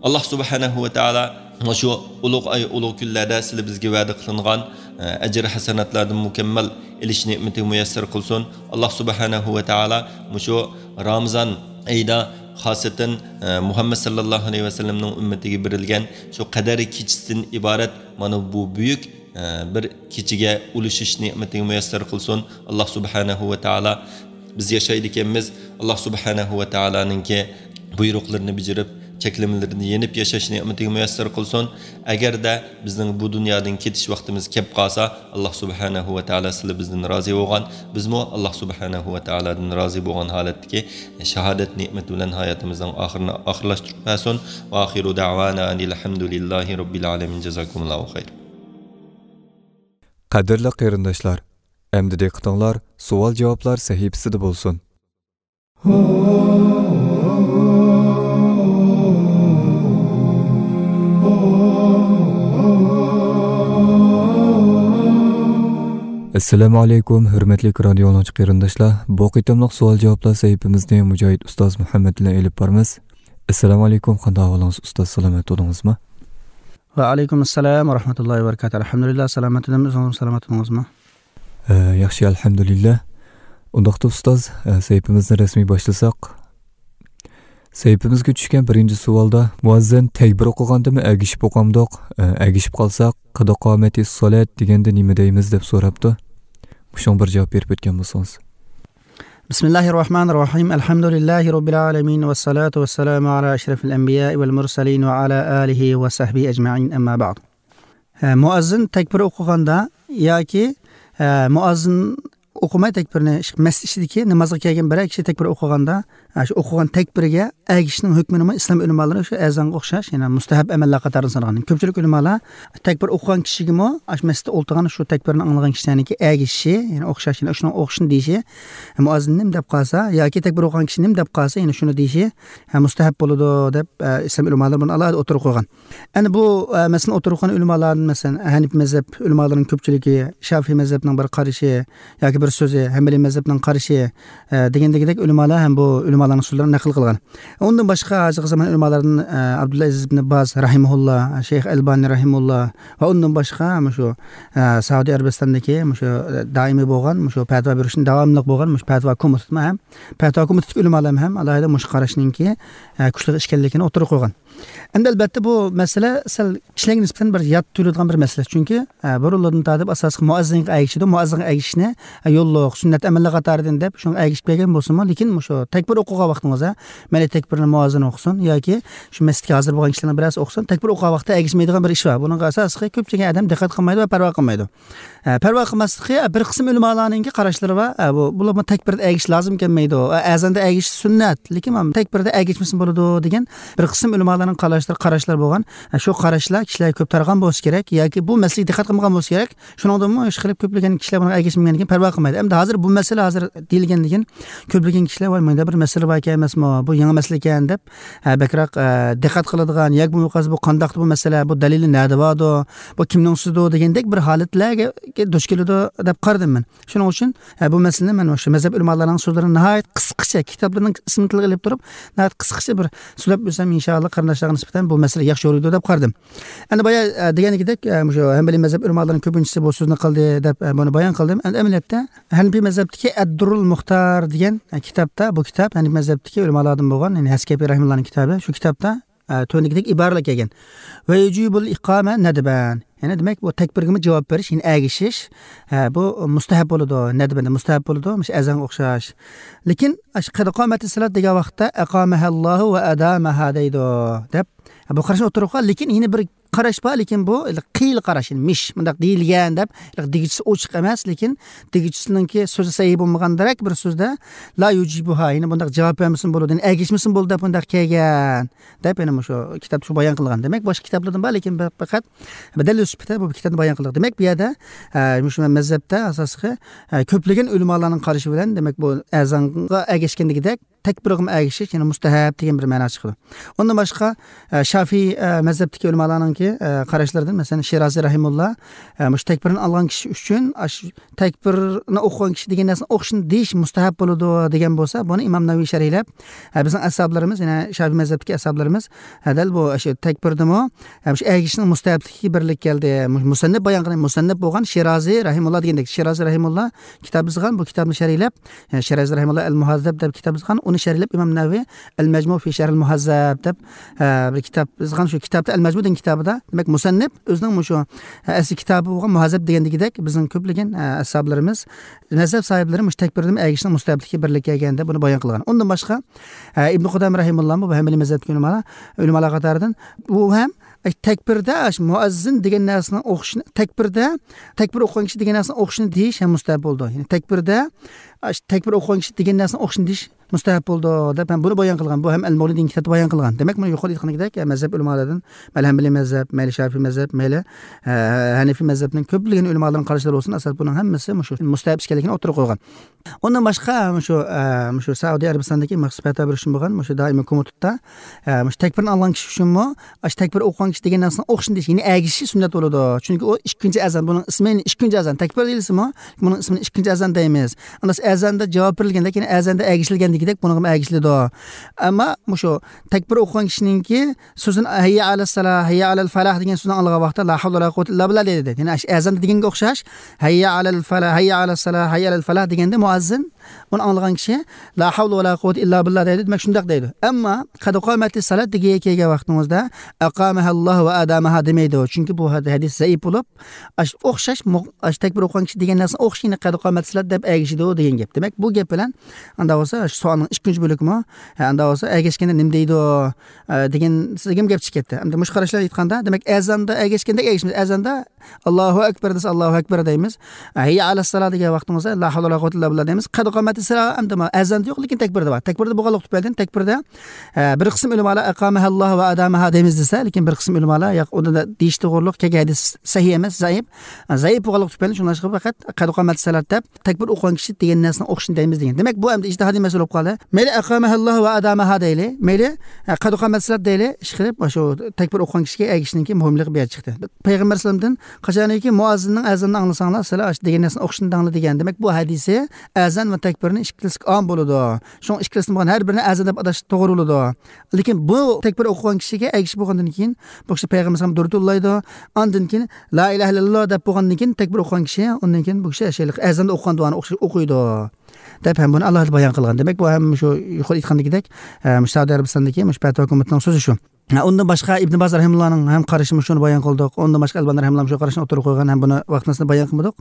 ئاللاھ سۇبھانەھۇ ۋە تائالا مۇشۇ ئۇلۇغ ئاي، ئۇلۇغ كۈنلەردە سىلى بىزگە ۋەدە قىلىنغان، ئە، ئەجىر ھەسەناتلاردىن مۇكەممەل ئېلىش نېمىتىگە مۇيەسسەر قىلسۇن. ئاللاھ سۇبھانەھۇ ۋە تائالا مۇشۇ رامىزان ئېيىدا خاسەتەن، ئە، مۇھەممەد ساللاللاھۇ ئەلەيھى ۋەسەللەمنىڭ ئۈممىتىگە بېرىلگەن شۇ قەدىر كېچىسىدىن ئىبارەت مانا بۇ بۈيۈك، ئە، بىر كېچىگە ئۇلىشىش نېمىتىگە مۇيەسسەر قىلسۇن. ئاللاھ سۇبھانەھۇ ۋە تائالا بىز ياشايدىكەنمىز، ئاللاھ سۇبھانەھۇ ۋە تائالانىڭكى بۇيرۇقلىرىنى بېجىرىپ، چەكلىمىلىرىنى يېنىپ ياشاش نېمىتىگە مۇيەسسەر قىلسۇن. ئەگەردە بىزنىڭ بۇ دۇنيادىن كېتىش ۋاقتىمىز كەپ قالسا، ئاللاھ سۇبھانەھۇ ۋە تائالا سىلى بىزدىن رازى بولغان، بىزمۇ ئاللاھ سۇبھانەھۇ ۋە تائالادىن رازى بولغان ھالەتتىكى شاھادەت نېمىتى بىلەن ھاياتىمىزنىڭ ئاخىرىنى ئاخىرلاشتۇرۇپ بەرسۇن. ۋە ئاخىرۇ دەۋانا ئەنىل ھەمدۇلىللاھى رەببىل ئالەمىن. جازاكۇمۇللاھۇ خەير. قەدىرلىك قېرىنداشلار، ئەمدى دىققىتىڭلار سوئال-جاۋابلار سەھىپىسىدە بولسۇن. ئەسسالامۇ ئەلەيكۇم، ھۆرمەتلىك رادىيو ئاڭلىغۇچى قېرىنداشلار. بۇ قېتىملىق سوئال-جاۋابلار سەھىپىمىزنى مۇجاھىد ئۇستاز مۇھەممەد بىلەن ئېلىپ بارىمىز. ئەسسالامۇ ئەلەيكۇم، قانداق ئەھۋالىڭىز ئۇستاز، سالامەت تۇردىڭىزمۇ؟ ۋەئەلەيكۇم ئەسسالام ۋە رەھمەتۇللاھى ۋە بەرىكاتۇھ. ئەلھەمدۇلىللاھ، سالامەت تۇردۇم، ئۆزىڭىز سالامەت تۇردىڭىزمۇ؟ ئە، ياخشى، ئەلھەمدۇلىللا. ئۇنداقتا ئۇستاز، ئە، سەھىپىمىزنى رەسمىي باشلىساق. سەھىپىمىزگە چۈشكەن بىرىنچى سوئالدا، مۇئەززىن تەكبىر ئوقۇغاندىمۇ ئەگىشىپ ئوقامدۇق؟ ئە، ئەگىشىپ قالساق، قەد قامەتىس سالات دېگەندە نېمە دەيمىز دەپ سوراپتۇ. مۇشۇڭا بىر جاۋاب بېرىپ ئۆتكەن بولسىڭىز. بسم الله الرحمن الرحيم. الحمد لله رب العالمين، والصلاة والسلام على أشرف الأنبياء والمرسلين وعلى آله وصحبه أجمعين، أما بعد. ھە، مۇئەززىن تەكبىر ئوقۇغاندا ياكى، ھە، مۇئەززىن ئوقۇماي تەكبىرنى، ئىش-، مەسچىت ئىچىدىكى نامازغا كەلگەن بىرەر كىشى تەكبىر ئوقۇغاندا، ھە، شۇ ئوقۇغان تەكبىرىگە ئەگىشىشنىڭ ھۆكمىنىمۇ ئىسلام ئۆلىمالىرى شۇ ئەزانغا ئوخشاش، يەنى مۇستەھەب ئەمەللەر قاتارىدا سانىغان. كۆپچىلىك ئۆلىمالار تەكبىر ئوقۇغان كىشىگىمۇ، ئاشۇ مەسچىتتە ئولتۇرغان شۇ تەكبىرنى ئاڭلىغان كىشىلەرنىڭكى ئەگىشىشى، يەنى ئوخشاش، يەنى شۇنىڭ ئوخشىشىنى دېيىشى، مۇئەززىن نېمە دەپ قالسا ياكى تەكبىر ئوقۇغان كىشى نېمە دەپ قالسا، يەنى شۇنى دېيىشى، ھە، مۇستەھەب بولىدۇ دەپ، ئە، ئىسلام ئۆلىمالىرى بۇنى ئالاھىدە ئوتتۇرىغا قويغان. ئەنە بۇ، ئە، مەسىلىنى ئوتتۇرىغا قويغان ئۆلىمالاردىن، مەسىلەن، ھەنىپى مەزھەپ ئۆلىمالىرىنىڭ كۆپچىلىكى، شافىئىي مەزھەپنىڭ بىر قارىشى ياكى بىر سۆزى، ھەنبەلىي مەزھەپنىڭ قارىشى، ئە، دېگەندەك ئۆلىمالار ھەم بۇ ئۆلىمالارنىڭ سۆزلىرىنى نەقىل قىلغان. ئۇندىن باشقا ھازىرقى زامان ئۆلىمالىرىدىن، ئە، ئابدۇللا ئەزىز ئىبنى باز رەھىمەھۇللا، شەيخ ئەلبانى رەھىمەھۇللا ۋە ئۇندىن باشقا مۇشۇ، ئە، سەئۇدى ئەرەبىستاندىكى مۇشۇ، ئە، دائىمىي بولغان، مۇشۇ پەتىۋا بېرىشتىن داۋاملىق بولغان مۇشۇ پەتىۋا كومىتېتىمۇ ھەم، پەتىۋا كومىتېتىدىكى ئۆلىمالارمۇ ھەم ئالاھىدە مۇشۇ قاراشنىڭكى، ئە، كۈچلۈك ئىكەنلىكىنى ئوتتۇرىغا قويغان. ئەمدى ئەلبەتتە بۇ مەسىلە سەل كىشىلەرگە نىسبەتەن بىر يات تۇيۇلىدىغان بىر مەسىلە. چۈنكى، ئە، بۇرۇنلاردىن تارتىپ ئاساسلىقى مۇئەززىنگە ئەگىشىدۇ. مۇئەززىنگە ئەگىشىشنى، ئە، يوللۇق، سۈننەت ئەمەللەر قاتارىدىن دەپ شۇنىڭغا ئەگىشىپ كەلگەن بولسىمۇ، لېكىن مۇشۇ تەكبىر ئوقۇغان ۋاقتىڭىزدا مەيلى تەكبىرنى مۇئەززىن ئوقۇسۇن ياكى شۇ مەسچىتكە ھازىر بولغان كىشىلەرنىڭ بىرەرسى ئوقۇسۇن، تەكبىر ئوقۇغان ۋاقىتتا ئەگىشمەيدىغان بىر ئىش بار. بۇنىڭغا ئاساسلىقى كۆپچىلىك ئادەم دىققەت قىلمايدۇ ۋە پەرۋا قىلمايدۇ. ئە، پەرۋا قىلماسلىقى، ئە، بىر قىسىم ئۆلىمالارنىڭكى قاراشلىرى بار. ئە، بۇ، بۇلارمۇ تەكبىردە ئەگىشىش لازىم كەلمەيدۇ. ئە، ئەزاندا ئەگىشىش سۈننەت، لېكىن تەكبىردە ئەگىشمىسىمۇ بولىدۇ دېگەن بىر قىسىم ئۆلىمالارنىڭ قاراشلىرى، قاراشلار بولغان. ئە، شۇ قاراشلار كىشىلەرگە كۆپ تارىغان بولسا كېرەك ياكى بۇ مەسىلىگە دىققەت قىلمىغان بولسا كېرەك. شۇنىڭدىنمۇ ئىشقىلىپ كۆپلىگەن كىشىلەر بۇنىڭغا ئەگىشمىگەندىن كېيىن پەرۋا قىلمايدۇ. ئەمدى ھازىر بۇ مەسىلە ھازىر دېيىلگەندىن كېيىن كۆپلىگەن كىشىلەر، ۋاي، مۇنداق بىر مەسىلە باركەن ئەمەسمۇ، بۇ يېڭى مەسىلىكەن دەپ، ھە، بەكرەك، ئە، دىققەت قىلىدىغان ياكى بولمىسا بۇ قانداقتۇ بۇ مەسىلە، بۇ دەلىلى نەدە باردۇ، بۇ كىمنىڭ سۆزىدۇ دېگەندەك بىر ھالەتلەرگە دۇچ كېلىدۇ دەپ قارىدىم مەن. شۇنىڭ ئۈچۈن، ھە، بۇ مەسىلىنى مەن مۇشۇ مەزھەپ ئۆلىمالارنىڭ سۆزلىرىنى ناھايىتى قىسقىچە، كىتابلىرىنىڭ ئىسمىنى تىلغا ئېلىپ تۇرۇپ، ناھايىتى قىسقىچە بىر سۆزلەپ ئۆتسەم، ئىنشائاللا، قېرىنداشلارغا نىسبەتەن بۇ مەسىلە ياخشى يورۇيدۇ دەپ قارىدىم. ئەمدى بايا، ئە، دېگەنكىدەك، ئە، مۇشۇ ھەنبەلىي مەزھەپ ئۆلىمالىرىنىڭ كۆپىنچىسى بۇ سۆزنى قىلدى دەپ، ئە، بۇنى بايان قىلدىم. ئەمدى ئەمەلىيەتتە ھەنىپىي مەزھەپتىكى ئەددۇررۇل مۇختار دېگەن، ئە، كىتابتا، بۇ كىتاب ھەنىپىي مەزھەپتىكى ئۆلىمالاردىن بولغان، يەنى ھەسكەپى رەھىمۇللانىڭ كىتابى. شۇ كىتابتا، ئە، تۆۋەندىكىدەك ئىبارىلەر كەلگەن. ۋە يۇجىبۇل ئىقامە نەدبەن. يەنى دېمەك، بۇ تەكبىرگىمۇ جاۋاب بېرىش، يەنى ئەگىشىش، ئە، بۇ مۇستەھەب بولىدۇ، نەدبەن مۇستەھەب بولىدۇ، مۇشۇ ئەزانغا ئوخشاش. لېكىن ئاشۇ قەد قامەتىس سالات دېگەن ۋاقىتتا ئەقامەھەللاھۇ ۋە ئەدامەھا دەيدۇ دەپ، بۇ قاراشنى ئوتتۇرىغا قويغان، لېكىن يەنە بىر قاراش بار، لېكىن بۇ خىيىل قاراش، يەنى مىش، مۇنداق دېيىلگەن دەپ، دېگۈچىسى ئوچۇق ئەمەس، لېكىن دېگۈچىسىنىڭكى سۆزى سەھىھ بولمىغاندەك بىر سۆزدە، لا يۇجىبۇھا، يەنى بۇنداق جاۋاب بەرمىسىمۇ بولىدۇ، يەنى ئەگىشمىسىمۇ بولىدۇ دەپ مۇنداق كەلگەن دەپ، يەنە مۇشۇ كىتابتا شۇ بايان قىلغان. دېمەك، باشقا كىتابلاردىن بار، لېكىن بىر پەقەت بىر دەلىل سۈپىتىدە بۇ بىر كىتابنى بايان قىلدۇق. دېمەك، بۇ يەردە، ئە، مۇشۇ مەزھەپتە ئاساسلىقى، ئە، كۆپلىگەن ئۆلىمالارنىڭ قارىشى بىلەن، دېمەك، بۇ ئەزانغا ئەگەشكەندىكىدەك تەكبىرغىمۇ ئەگىشىش، يەنى مۇستەھەب دېگەن بىر مەنا چىقىدۇ. ئۇندىن باشقا، ئە، شافىئىي، ئە، مەزھەپتىكى ئۆلىمالارنىڭكى، ئە، قاراشلىرىدىن، مەسىلەن، شىرازى رەھىمۇللا، ئە، مۇشۇ تەكبىرنى ئالغان كىشى ئۈچۈن، ئاش-، تەكبىرنى ئوقۇغان كىشى دېگەن نەرسىنى ئوقۇشنى دېيىش مۇستەھەب بولىدۇ دېگەن بولسا، بۇنى ئىمام نەۋەۋى شەرھلەپ، ھە، بىزنىڭ ئەسھابلىرىمىز، يەنە شافىئىي مەزھەپتىكى ئەسھابلىرىمىز، ھە، دەل بۇ شۇ تەكبىردىمۇ، ھە، شۇ ئەگىشىشنىڭ مۇستەھەبلىكىگە بىرلىك كەلدى. مۇ-، مۇسەننىپ بايان قىلغان، مۇسەننىپ بولغان شىرازى رەھىمۇللا دېگەندەك، شىرازى رەھىمۇللا كىتاب يازغان، بۇ كىتابنى شەرھلەپ، ھە، شىرازى رەھىمۇللا ئەل مۇھەززەب دەپ كىتاب يازغان، ئۇنى شەرھلەپ ئىمام نەۋەۋى ئەل مەجمۇ فى شەرھىل مۇھەززەب دەپ، ھە، بىر كىتاب يازغان. شۇ كىتابتا ئەل مەجمۇ دېگەن كىتابىدا، دېمەك، مۇسەننىپ ئۆزىنىڭ مۇشۇ، ھە، ئەسلى كىتابى بولغان مۇھەززەب دېگەندىكىدەك، بىزنىڭ كۆپلىگەن، ھە، ئەسھابلىرىمىز، مەزھەپ ساھىبلىرى مۇشۇ تەكبىردىن ئەگىشىشنىڭ مۇستەھەبلىكى بىرلىككە كەلگەندە بۇنى بايان قىلغان. ئۇندىن باشقا، ئە، ئىبن قۇدامە رەھىمۇللا بۇ ھەمبىلىي مەزھەپتىكى ئۆلىمالار، ئۆلىمالار قاتارىدىن، ئۇ ھەم، ئە، تەكبىردە ئاشۇ مۇئەززىن دېگەن نەرسىنىڭ ئوقۇشىنى، تەكبىردە، تەكبىر ئوقۇغان كىشى دېگەن نەرسىنىڭ ئوقۇشىنى دېيىش ھەم مۇستەھەب بولىدۇ. يەنى تەكبىردە، ئاشۇ تەكبىر ئوقۇغان كىشى دېگەن نەرسىنىڭ ئوقۇشىنى دېيىش مۇستەھەب بولىدۇ دەپ، ھەم بۇنى بايان قىلغان. بۇ ھەم ئەل مۇغنى دېگەن كىتابتا بايان قىلغان. دېمەك، مانا يۇقىرىدا ئېيتقاندەك، مەزھەپ ئۆلىمالىرىدىن، مەيلى ھەمبىلىي مەزھەپ، مەيلى شافىئىي مەزھەپ، مەيلى، ئە، ھەنىفىي مەزھەپنىڭ كۆپلىگەن ئۆلىمالىرىنىڭ قارىشلىرى بولسۇن، ئاساس بۇنىڭ ھەممىسى مۇشۇ مۇستەھەب ئىش ئىكەنلىكىنى ئوتتۇرىغا قويغان. ئۇندىن باشقا، مۇشۇ، ئە، مۇشۇ سەئۇدى ئەرەبىستاندىكى مەخسۇس پەتىۋا بىر ئىشىم بولغان، مۇشۇ دائىمىي كومىتېتتا، ئە، مۇشۇ تەكبىرنى ئالغان كىشى ئۈچۈنمۇ، ئاشۇ تەكبىر ئوقۇغان كىشى دېگەن نەرسىنى ئوقۇشنى دېيىش، يەنى ئەگىشىشى سۈننەت بولىدۇ. چۈنكى ئۇ ئىككىنچى ئەزان، بۇنىڭ ئىسمى ئىككىنچى ئەزان، تەكبىر دېيىلسىمۇ، بۇنىڭ ئىسمىنى ئىككىنچى ئەزان دەيمىز. ئەمما ئەزاندا جاۋاب بېرىلگەندە، يەنى ئەزاندا ئەگىشىلگەندىكىدەك بۇنىڭغىمۇ ئەگىشىلىدۇ. ئەمما مۇشۇ تەكبىر ئوقۇغان كىشىنىڭكى سۆزىنى ھەييە ئەلەسسالا، ھەييە ئەلەل فەلاھ دېگەن سۆزنى ئاڭلىغان ۋاقىتتا لا ھەۋلە ۋەلا قۇۋۋەتە ئىللا بىللا دەيدۇ. يەنى ئەش-، ئەزاندا دېگەنگە ئوخشاش، ھەييە ئەلەل فەلاھ، ھەييە ئەلەسسالا، ھەييە ئەلەل فەلاھ دېگەندە مۇئەززىن ئۇنى ئاڭلىغان كىشى لا ھەۋلە ۋەلا قۇۋۋەتە ئىللا بىللا دەيدۇ. دېمەك، شۇنداق دەيدۇ. ئەمما قەد قامەتىس سالات دېگىگە كەلگەن ۋاقتىڭىزدا ئەقامەھەللاھۇ ۋە ئادامەھا دېمەيدۇ. چۈنكى بۇ ھەد-، ھەدىس زەئىپ بولۇپ، ئاش-، ئوخشاش مۇ-، ئاش-، تەكبىر ئوقۇغان كىشى دېگەن نەرسىنى ئوخشىشىنى قەد قامەتىس سالات دەپ ئەگىشىدۇ دېگەن گەپ. دېمەك، بۇ گەپ بىلەن ئاندا بولسا شۇ سوئالنىڭ ئىككىنچى بۆلىكىمۇ، ھە، ئاندا بولسا ئەگەشكەندە نېمە دەيدۇ، ئە، دېگەن سىزگىمۇ گەپ چىقىپ كەتتى. ئەمدى مۇشۇ قاراشلار ئېيتقاندا، دېمەك، ئەزاندا ئەگەشكەندەك ئەگىشىمىز. ئەزاندا ئاللاھۇ ئەكبەر دېسە، ئاللاھۇ ئەكبەر دەيمىز. ھەييە ئەلەسسالا دېگەن ۋاقتىمىزدا لا ھەۋلە ۋەلا قۇۋۋەتە ئىللا بىللا دەيمىز. قەد قامەتىس سالا ئەمدى ما ئەزاندا يوق، لېكىن تەكبىردە بار. تەكبىردە بولغانلىق تۈپەيلىدىن، تەكبىردە، ئە، بىر قىسىم ئۆلىمالار ئەقامەھەللاھۇ ۋە ئادامەھا دەيمىز دېسە، لېكىن بىر قىسىم ئۆلىمالار ياق، ئۇندا دېيىش توغرۇلۇق كەلگەن ھەدىس سەھىھ ئەمەس، زەئىپ. زەئىپ بولغانلىق تۈپەيلىدىن شۇڭلاشقا پەقەت قەد قامەتىس سالات دەپ تەكبىر ئوقۇغان كىشى دېگەن نەرسىنى ئوقۇشنى دەيمىز دېگەن. دېمەك، بۇ ئەمدى ئىجتىھادىي مەسىلە بولۇپ قالدى. مەيلى ئەقامەھەللاھۇ ۋە ئادامەھا دەيلى، مەيلى، ئە، قەد قامەتىس سالات دەيلى، ئىشقىلىپ، شۇ تەكبىر ئوقۇغان كىشىگە ئەگىشىشنىڭكى مۇھىملىقى بۇ يەردە چىقتى. پەيغەمبەر ئەلەيھىسسالامدىن قاچانكى مۇئەززىننىڭ ئەزانىنى ئاڭلىساڭلار، سىلەر ئاشۇ دېگەن نەرسىنى ئوقۇشنى دەڭلار دېگەن. دېمەك، بۇ ھەدىسى ئەزان ۋە تەكبىرنى ئىككىلىسىگە ئام بولىدۇ. شۇڭا ئىككىلىسىنى بولغان ھەر بىرىنى ئەزان دەپ ئاتاش توغرا بولىدۇ. لېكىن بۇ تەكبىر ئوقۇغان كىشىگە ئەگىشىپ بولغاندىن كېيىن، بۇ كىشى پەيغەمبەر ئەلەيھىسسالام دۇرۇت يوللايدۇ. ئاندىن كېيىن لا ئىلاھە ئىللاللا دەپ بولغاندىن كېيىن، تەكبىر ئوقۇغان كىشى ئۇندىن كېيىن بۇ كىشى شەيخ ئەزاندا ئوقۇغان دۇئانى ئوخشاش ئوقۇيدۇ دەپ ھەم بۇنى ئالاھىدە بايان قىلغان. دېمەك، بۇ ھەم شۇ يۇقىرى ئېيتقاندىكىدەك، ئە، مۇشۇ سەئۇدى ئەرەبىستاندىكى مۇشۇ پەتىۋا كومىتېتىنىڭ سۆزى شۇ. ھە، ئۇندىن باشقا ئىبن باز رەھىمۇللانىڭ ھەم قارىشى شۇنى بايان قىلدۇق. ئۇندىن باشقا ئەلبانى رەھىمۇللا شۇ قاراشنى ئوتتۇرىغا قويغان ھەم بۇنى ۋاقتىنى بايان قىلمىدۇق.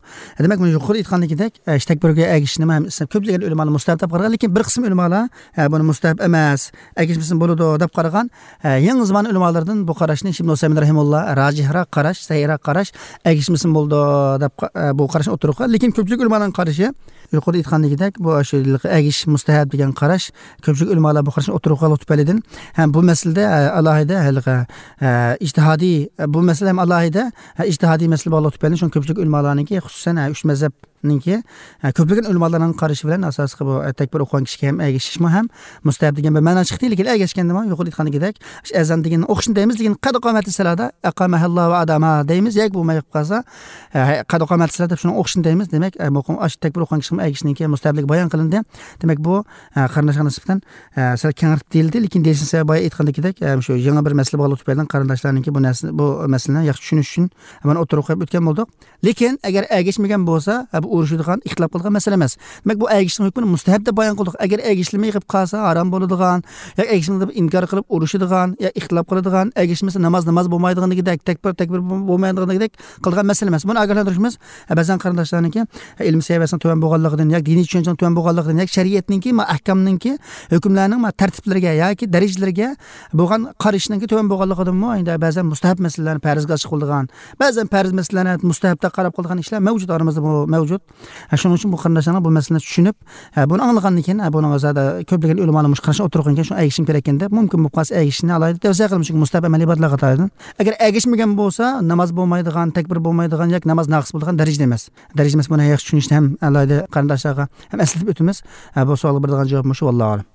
دېمەك، مانا يۇقىرىدا ئېيتقاندىكىدەك، ئە، تەكبىرگە ئەگىشىشنى ھەم كۆپلىگەن ئۆلىمالار مۇستەھەب دەپ قارىغان، لېكىن بىر قىسىم ئۆلىمالار، ئە، بۇنى مۇستەھەب ئەمەس، ئەگىشمىسىمۇ بولىدۇ دەپ قارىغان، ئە، يېڭى زامان ئۆلىمالىرىدىن بۇ قاراشنى ئىبن ئۇسەيمىن رەھىمۇللا راجىھراق قاراش، سەھىھراق قاراش، ئەگىشمىسىمۇ بولىدۇ دەپ قا-، ئە، بۇ قاراشنى ئوتتۇرىغا قويغان. لېكىن كۆپچىلىك ئۆلىمالارنىڭ قارىشى يۇقىرىدا ئېيتقاندىكىدەك، بۇ ئاشۇ ئەگىشىش مۇستەھەب دېگەن قاراش، كۆپچىلىك ئۆلىمالار بۇ قاراشنى ئوتتۇرىغا قويغانلىقى تۈپەيلىدىن ھەم بۇ مەسىلىدە، ئە، ئالاھىدە ھېلىقى، ئە، ئىجتىھادىي، بۇ مەسىلە ھەم ئالاھىدە، ئە، ئىجتىھادىي مەسىلە بولغانلىقى تۈپەيلىدىن، شۇڭا كۆپچىلىك ئۆلىمالارنىڭكى، خۇسۇسەن، ئە، ئۈچ مەزھەبنىڭكى، ئە، كۆپلىگەن ئۆلىمالارنىڭ قارىشى بىلەن ئاساسلىقى بۇ، ئە، تەكبىر ئوقۇغان كىشىگە ھەم ئەگىشىشمۇ ھەم مۇستەھەب دېگەن بىر مەنا چىقتى. لېكىن ئەگەشكەندىمۇ يۇقىرىدا ئېيتقاندىكىدەك، ئەزان دېگەننى ئوقۇشنى دەيمىز، لېكىن قەد قامەتىس سالا، ئەقامەھەللا ۋە ئادامەھا دەيمىز، ياكى بولماي قالسا، ئە، قەد قامەتىس سالا دەپ شۇنىڭ ئوقۇشىنى دەيمىز. دېمەك، ئە، مۇقىم ئاشۇ تەكبىر ئوقۇغان كىشىنىڭ ئەگىشىشىنىڭكى مۇستەھەبلىكى بايان قىلىندى. دېمەك، بۇ، ئە، قېرىنداشقا نىسبەتەن، ئە، سەل كەڭرىتىپ دېيىلدى، لېكىن دېيىشنىڭ سەۋەبى بايا ئېيتقاندىكىدەك، ئە، شۇ يېڭى بىر مەسىلە بولغانلىقى تۈپەيلىدىن قېرىنداشلارنىڭكى بۇ نەرسىنى، بۇ مەسىلىنى ياخشى چۈشىنىش ئۈچۈن مانا ئوتتۇرىغا قويۇپ ئۆتكەن بولدۇق. لېكىن ئەگەر ئەگەشمىگەن بولسا، ئە، بۇ ئۇرۇشىدىغان، ئىختىلاپ قىلىدىغان مەسىلە ئەمەس. دېمەك، بۇ ئەگىشىشنىڭ ھۆكمىنى مۇستەھەب دەپ بايان قىلدۇق. ئەگەر ئەگىشىلمەي قېلىپ قالسا، ھارام بولىدىغان، ياكى ئەگىشىلمىدى دەپ ئىنكار قىلىپ ئۇرۇشىدىغان، يا ئىختىلاپ قىلىدىغان، ئەگىشمىسە ناماز ناماز بولمايدىغان دېگۈدەك، تەكبىر تەكبىر بولمايدىغان دېگۈدەك قىلىدىغان مەسىلە ئەمەس. بۇنى ئاگاھلاندۇرۇشىمىز، بەزەن قارىنداشلارنىڭكى ئىلىم سەۋىيەسىنىڭ تۆۋەن بولغانلىقىدىن، ياكى دىنىي چۈشەنچىنىڭ تۆۋەن بولغانلىقىدىن، ياكى شەرىئەتنىڭكى، ما، ئەھكامنىڭكى، ھۆكۈملەرنىڭ، ما، تەرتىپلىرىگە ياكى دەرىجىلىرىگە بولغان قارىشىنىڭكى تۆۋەن بولغانلىقىدىنمۇ، ئەندى بەزەن مۇستەھەب مەسىلىلەرنى پەرزگە ئاشىق قىلىدىغان، بەزەن پەرز مەسىلىلەرنى مۇستەھەب دەپ قاراپ قىلىدىغان ئىشلار مەۋجۇت، ئارىمىزدا بۇ مەۋجۇت. ھە، شۇنىڭ ئۈچۈن بۇ قېرىنداشلارنىڭ بۇ مەسىلىنى چۈشىنىپ، ھە، بۇنى ئاڭلىغاندىن كېيىن، ھە، بۇنىڭغا زادى كۆپلىگەن ئۆلىمالار مۇشۇ قاراشنى ئوتتۇرىغا قويغان ئىكەن، شۇڭا ئەگىشىم كېرەككەن دەپ، مۇمكىن بولۇپ قالسا ئەگىشىشنى ئالاھىدە تەۋسىيە قىلىمىز، چۈنكى مۇستەھەب ئەمەلىي ئىبادەتلەرگە قاتارىدىن. ئەگەر ئەگىشمىگەن بولسا، ناماز بولمايدىغان، تەكبىر بولمايدىغان ياكى ناماز ناقىس بولىدىغان دەرىجىدە ئەمەس. دەرىجىدە ئەمەس، بۇنى ياخشى چۈشىنىشنى ھەم ئالاھىدە قېرىنداشلارغا ھەم ئەسلىتىپ ئۆتىمىز. ھە، بۇ سوئالغا بېرىدىغان جاۋاب مۇشۇ، ۋاللاھۇ ئەلەم.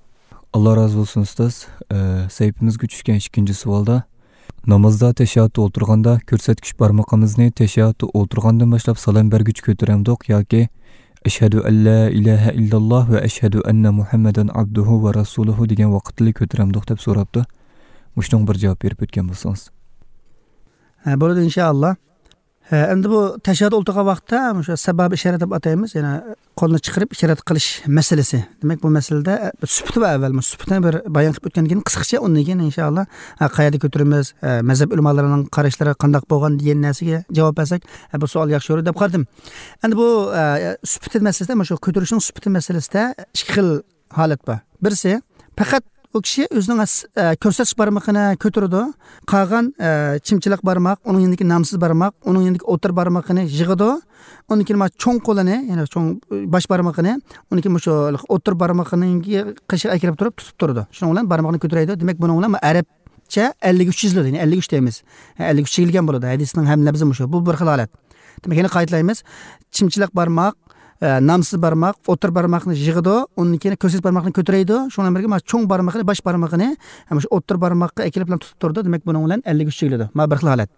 ئاللا رازى بولسۇن، ئۇستاز. ئە، سەھىپىمىزگە چۈشكەن ئىككىنچى سوئالدا، نامازدا تەشەھھۇدتا ئولتۇرغاندا كۆرسەتكۈچ بارمىقىمىزنى تەشەھھۇدتا ئولتۇرغاندىن باشلاپ سالام بەرگۈچە كۆتۈرەمدۇق ياكى «ئەشھەدۇ ئەللا ئىلاھە ئىللاللاھ ۋە ئەشھەدۇ ئەننە مۇھەممەدەن ئابدۇھۇ ۋە رەسۇلۇھۇ» دېگەن ۋاقىتتىلا كۆتۈرەمدۇق دەپ سوراپتۇ. مۇشۇنىڭغا بىر جاۋاب بېرىپ ئۆتكەن بولسىڭىز. ھە، بولىدۇ، ئىنشائاللا. ھە، ئەمدى بۇ تەشەھھۇد ئولتۇرغان ۋاقىتتا مۇشۇ سەبابە ئىشارە دەپ ئاتايمىز، يەنى قولنى چىقىرىپ ئىشارە قىلىش مەسىلىسى. دېمەك، بۇ مەسىلىدە، ئە، سۈپىتى بار ئەۋۋەل، مۇشۇ سۈپىتىنى بىر بايان قىلىپ ئۆتكەندىن كېيىن قىسقىچە، ئۇندىن كېيىن ئىنشائاللا، ئە، قەيەردە كۆتۈرىمىز، ئە، مەزھەپ ئۆلىمالىرىنىڭ قاراشلىرى قانداق بولغان دېگەن نەرسىگە جاۋاب بەرسەك، ئە، بۇ سوئال ياخشى يورۇيدۇ دەپ قارىدىم. ئەمدى بۇ، ئە، سۈپىتى مەسىلىسىدە، مۇشۇ كۆتۈرۈشنىڭ سۈپىتى مەسىلىسىدە ئىككى خىل ھالەت بار. بىرسى، پەقەت ئۇ كىشى ئۆزىنىڭ ئەس-، ئە، كۆرسەتكۈچ بارمىقىنى كۆتۈرىدۇ، قالغان، ئە، چىمچىلىق بارماق، ئۇنىڭ يېنىدىكى نامسىز بارماق، ئۇنىڭ يېنىدىكى ئوتتۇرا بارمىقىنى يىغىدۇ، ئۇندىن كېيىن مانا چوڭ قولىنى، يەنى چوڭ باش بارمىقىنى، ئۇندىن كېيىن مۇشۇ ئوتتۇرا بارمىقىنىڭ قېشىغا ئەكىرىپ تۇرۇپ تۇتۇپ تۇرىدۇ. شۇنىڭ بىلەن بارمىقىنى كۆتۈرەيدۇ. دېمەك، بۇنىڭ بىلەن ئەرەبچە ئەللىك ئۈچ يېزىلىدۇ، يەنى ئەللىك ئۈچ دەيمىز. ھە، ئەللىك ئۈچ يېزىلگەن بولىدۇ. ھەدىسنىڭ ھەم لەپزى مۇشۇ. بۇ بىر خىل ھالەت. دېمەك، يەنە قايتىلايمىز. چىمچىلىق بارماق، ئە، نامسىز بارماق، ئوتتۇرا بارماقنى يىغىدۇ، ئۇندىن كېيىن كۆرسەتكۈچ بارماقنى كۆتۈرەيدۇ، شۇنىڭ بىلەن بىرگە مانا چوڭ بارمىقىنى، باش بارمىقىنى، ھە، مۇشۇ ئوتتۇرا بارماققا ئەكىلىپ بىلەن تۇتۇپ تۇرىدۇ. دېمەك، بۇنىڭ بىلەن ئەللىك ئۈچ يېزىلىدۇ. مانا بىر خىل ھالەت.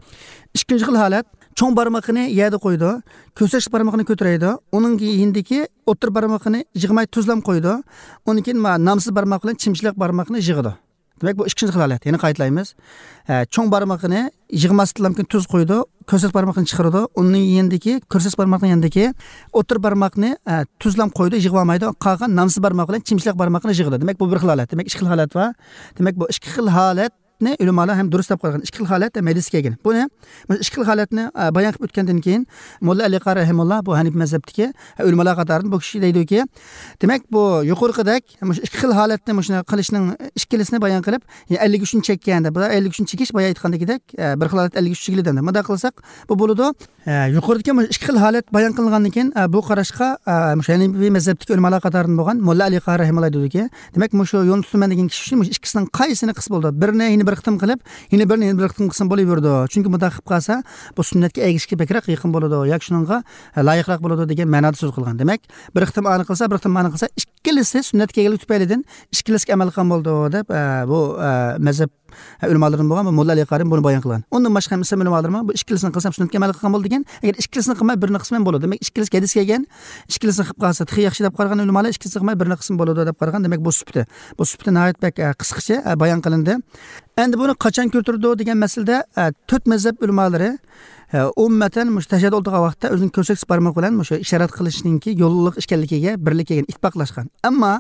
ئىككىنچى خىل ھالەت، چوڭ بارمىقىنى يەردە قويىدۇ، كۆرسەتكۈچ بارمىقىنى كۆتۈرەيدۇ، ئۇنىڭ يېنىدىكى ئوتتۇرا بارمىقىنى يىغماي تۈزلەم قويىدۇ، ئۇندىن كېيىن مانا نامسىز بارماق بىلەن چىمچىلىق بارماقنى يىغىدۇ. دېمەك، بۇ ئىككىنچى خىل ھالەت. يەنە قايتىلايمىز. ئە، چوڭ بارمىقىنى يىغماستىنلا تۈز قويىدۇ، كۆرسەتكۈچ بارمىقىنى چىقىرىدۇ، ئۇنىڭ يېنىدىكى، كۆرسەتكۈچ بارماقنىڭ يېنىدىكى ئوتتۇرا بارماقنى، ئە، تۈزلەم قويىدۇ، يىغىۋالمايدۇ. قالغان نامسىز بارماق بىلەن چىمچىلىق بارماقنى يىغىدۇ. دېمەك، بۇ بىر خىل ھالەت. دېمەك، ئىككى خىل ھالەت بار. دېمەك، بۇ ئىككى خىل ھالەتنى ئۆلىمالار ھەم دۇرۇس دەپ قارىغان. ئىككى خىل ھالەت ھەم ھەدىسكە كەلگەن. بۇنى، مۇشۇ ئىككى خىل ھالەتنى، ئە، بايان قىلىپ ئۆتكەندىن كېيىن، موللا ئەلى قارى رەھىمۇللا، بۇ ھەنىپىي مەزھەپتىكى، ئە، ئۆلىمالار قاتارىدىن بۇ كىشى دەيدۇكى، دېمەك، بۇ يۇقىرىقىدەك مۇشۇ ئىككى خىل ھالەتنى مۇشۇنى قىلىشنىڭ ئىككىلىسىنى بايان قىلىپ، يەنى ئەللىك ئۈچنى چەككەن دەپ، بۇ ئەللىك ئۈچنى چېكىش بايا ئېيتقاندىكىدەك، ئە، بىر خىل ھالەت ئەللىك ئۈچ چېكىلدى دەمدى. مۇنداق قىلساق، بۇ بولىدۇ. ئە، يۇقىرىدىكى مۇشۇ ئىككى خىل ھالەت بايان قىلىنغاندىن كېيىن، ئە، بۇ قاراشقا، ئە، مۇشۇ ھەنىپىي مەزھەپتىكى ئۆلىمالار قاتارىدىن بولغان موللا ئەلى قارى رەھىمۇللا دېدىكى، دېمەك، مۇشۇ يولنى تۇتىمەن دېگەن كىشى ئۈچۈن مۇشۇ ئىككىسىنىڭ قايسىنى قىلسا بولىدۇ؟ بىرنى يەنە بىر قېتىم قىلىپ، يەنە بىرنى يەنە بىر قېتىم قىلسىمۇ بولۇۋېرىدۇ. چۈنكى مۇنداق قىلىپ قالسا، بۇ سۈننەتكە ئەگىشىشكە بەكرەك يېقىن بولىدۇ ياكى شۇنىڭغا، ئە، لايىقراق بولىدۇ دېگەن مەنادا سۆز قىلغان. دېمەك، بىر قېتىم ئانى قىلسا، بىر قېتىم مانى قىلسا، ئىككىلىسى سۈننەتكە كەلگەنلىكى تۈپەيلىدىن ئىككىلىسىگە ئەمەل قىلغان بولىدۇ دەپ، ئە، بۇ، ئە، مەزھەپ، ئە، ئۆلىمالىرىدىن بولغان بۇ موللا ئەلى قارى بۇنى بايان قىلغان. ئۇندىن باشقا ھەم ئىسلام ئۆلىمالىرىمۇ بۇ ئىككىلىسىنى قىلسام سۈننەتكە ئەمەل قىلغان بولىدۇ دېگەن. ئەگەر ئىككىلىسىنى قىلماي بىرىنى قىلسا مەن بولىدۇ. دېمەك، ئىككىلىسى ھەدىسكە كەلگەن، ئىككىلىسىنى قىلىپ قالسا تېخى ياخشى دەپ قارىغان ئۆلىمالار ئىككىلىسىنى قىلماي بىرىنى قىلسىمۇ بولىدۇ دەپ قارىغان. دېمەك، بۇ سۈپىتى. بۇ سۈپىتى ناھايىتى بەك، ئە، قىسقىچە، ئە، بايان قىلىندى. ئەمدى بۇنى قاچان كۆتۈرىدۇ دېگەن مەسىلىدە، ئە، تۆت مەزھەپ ئۆلىمالىرى، ئە، ئومۇمەن مۇشۇ تەشەھھۇدتا ئولتۇرغان ۋاقىتتا ئۆزىنىڭ كۆرسەتكۈچ بارمىقى بىلەن مۇشۇ ئىشارەت قىلىشنىڭكى يوللۇق ئىكەنلىكىگە بىرلىك كەلگەن، ئىتتىپاقلاشقان. ئەمما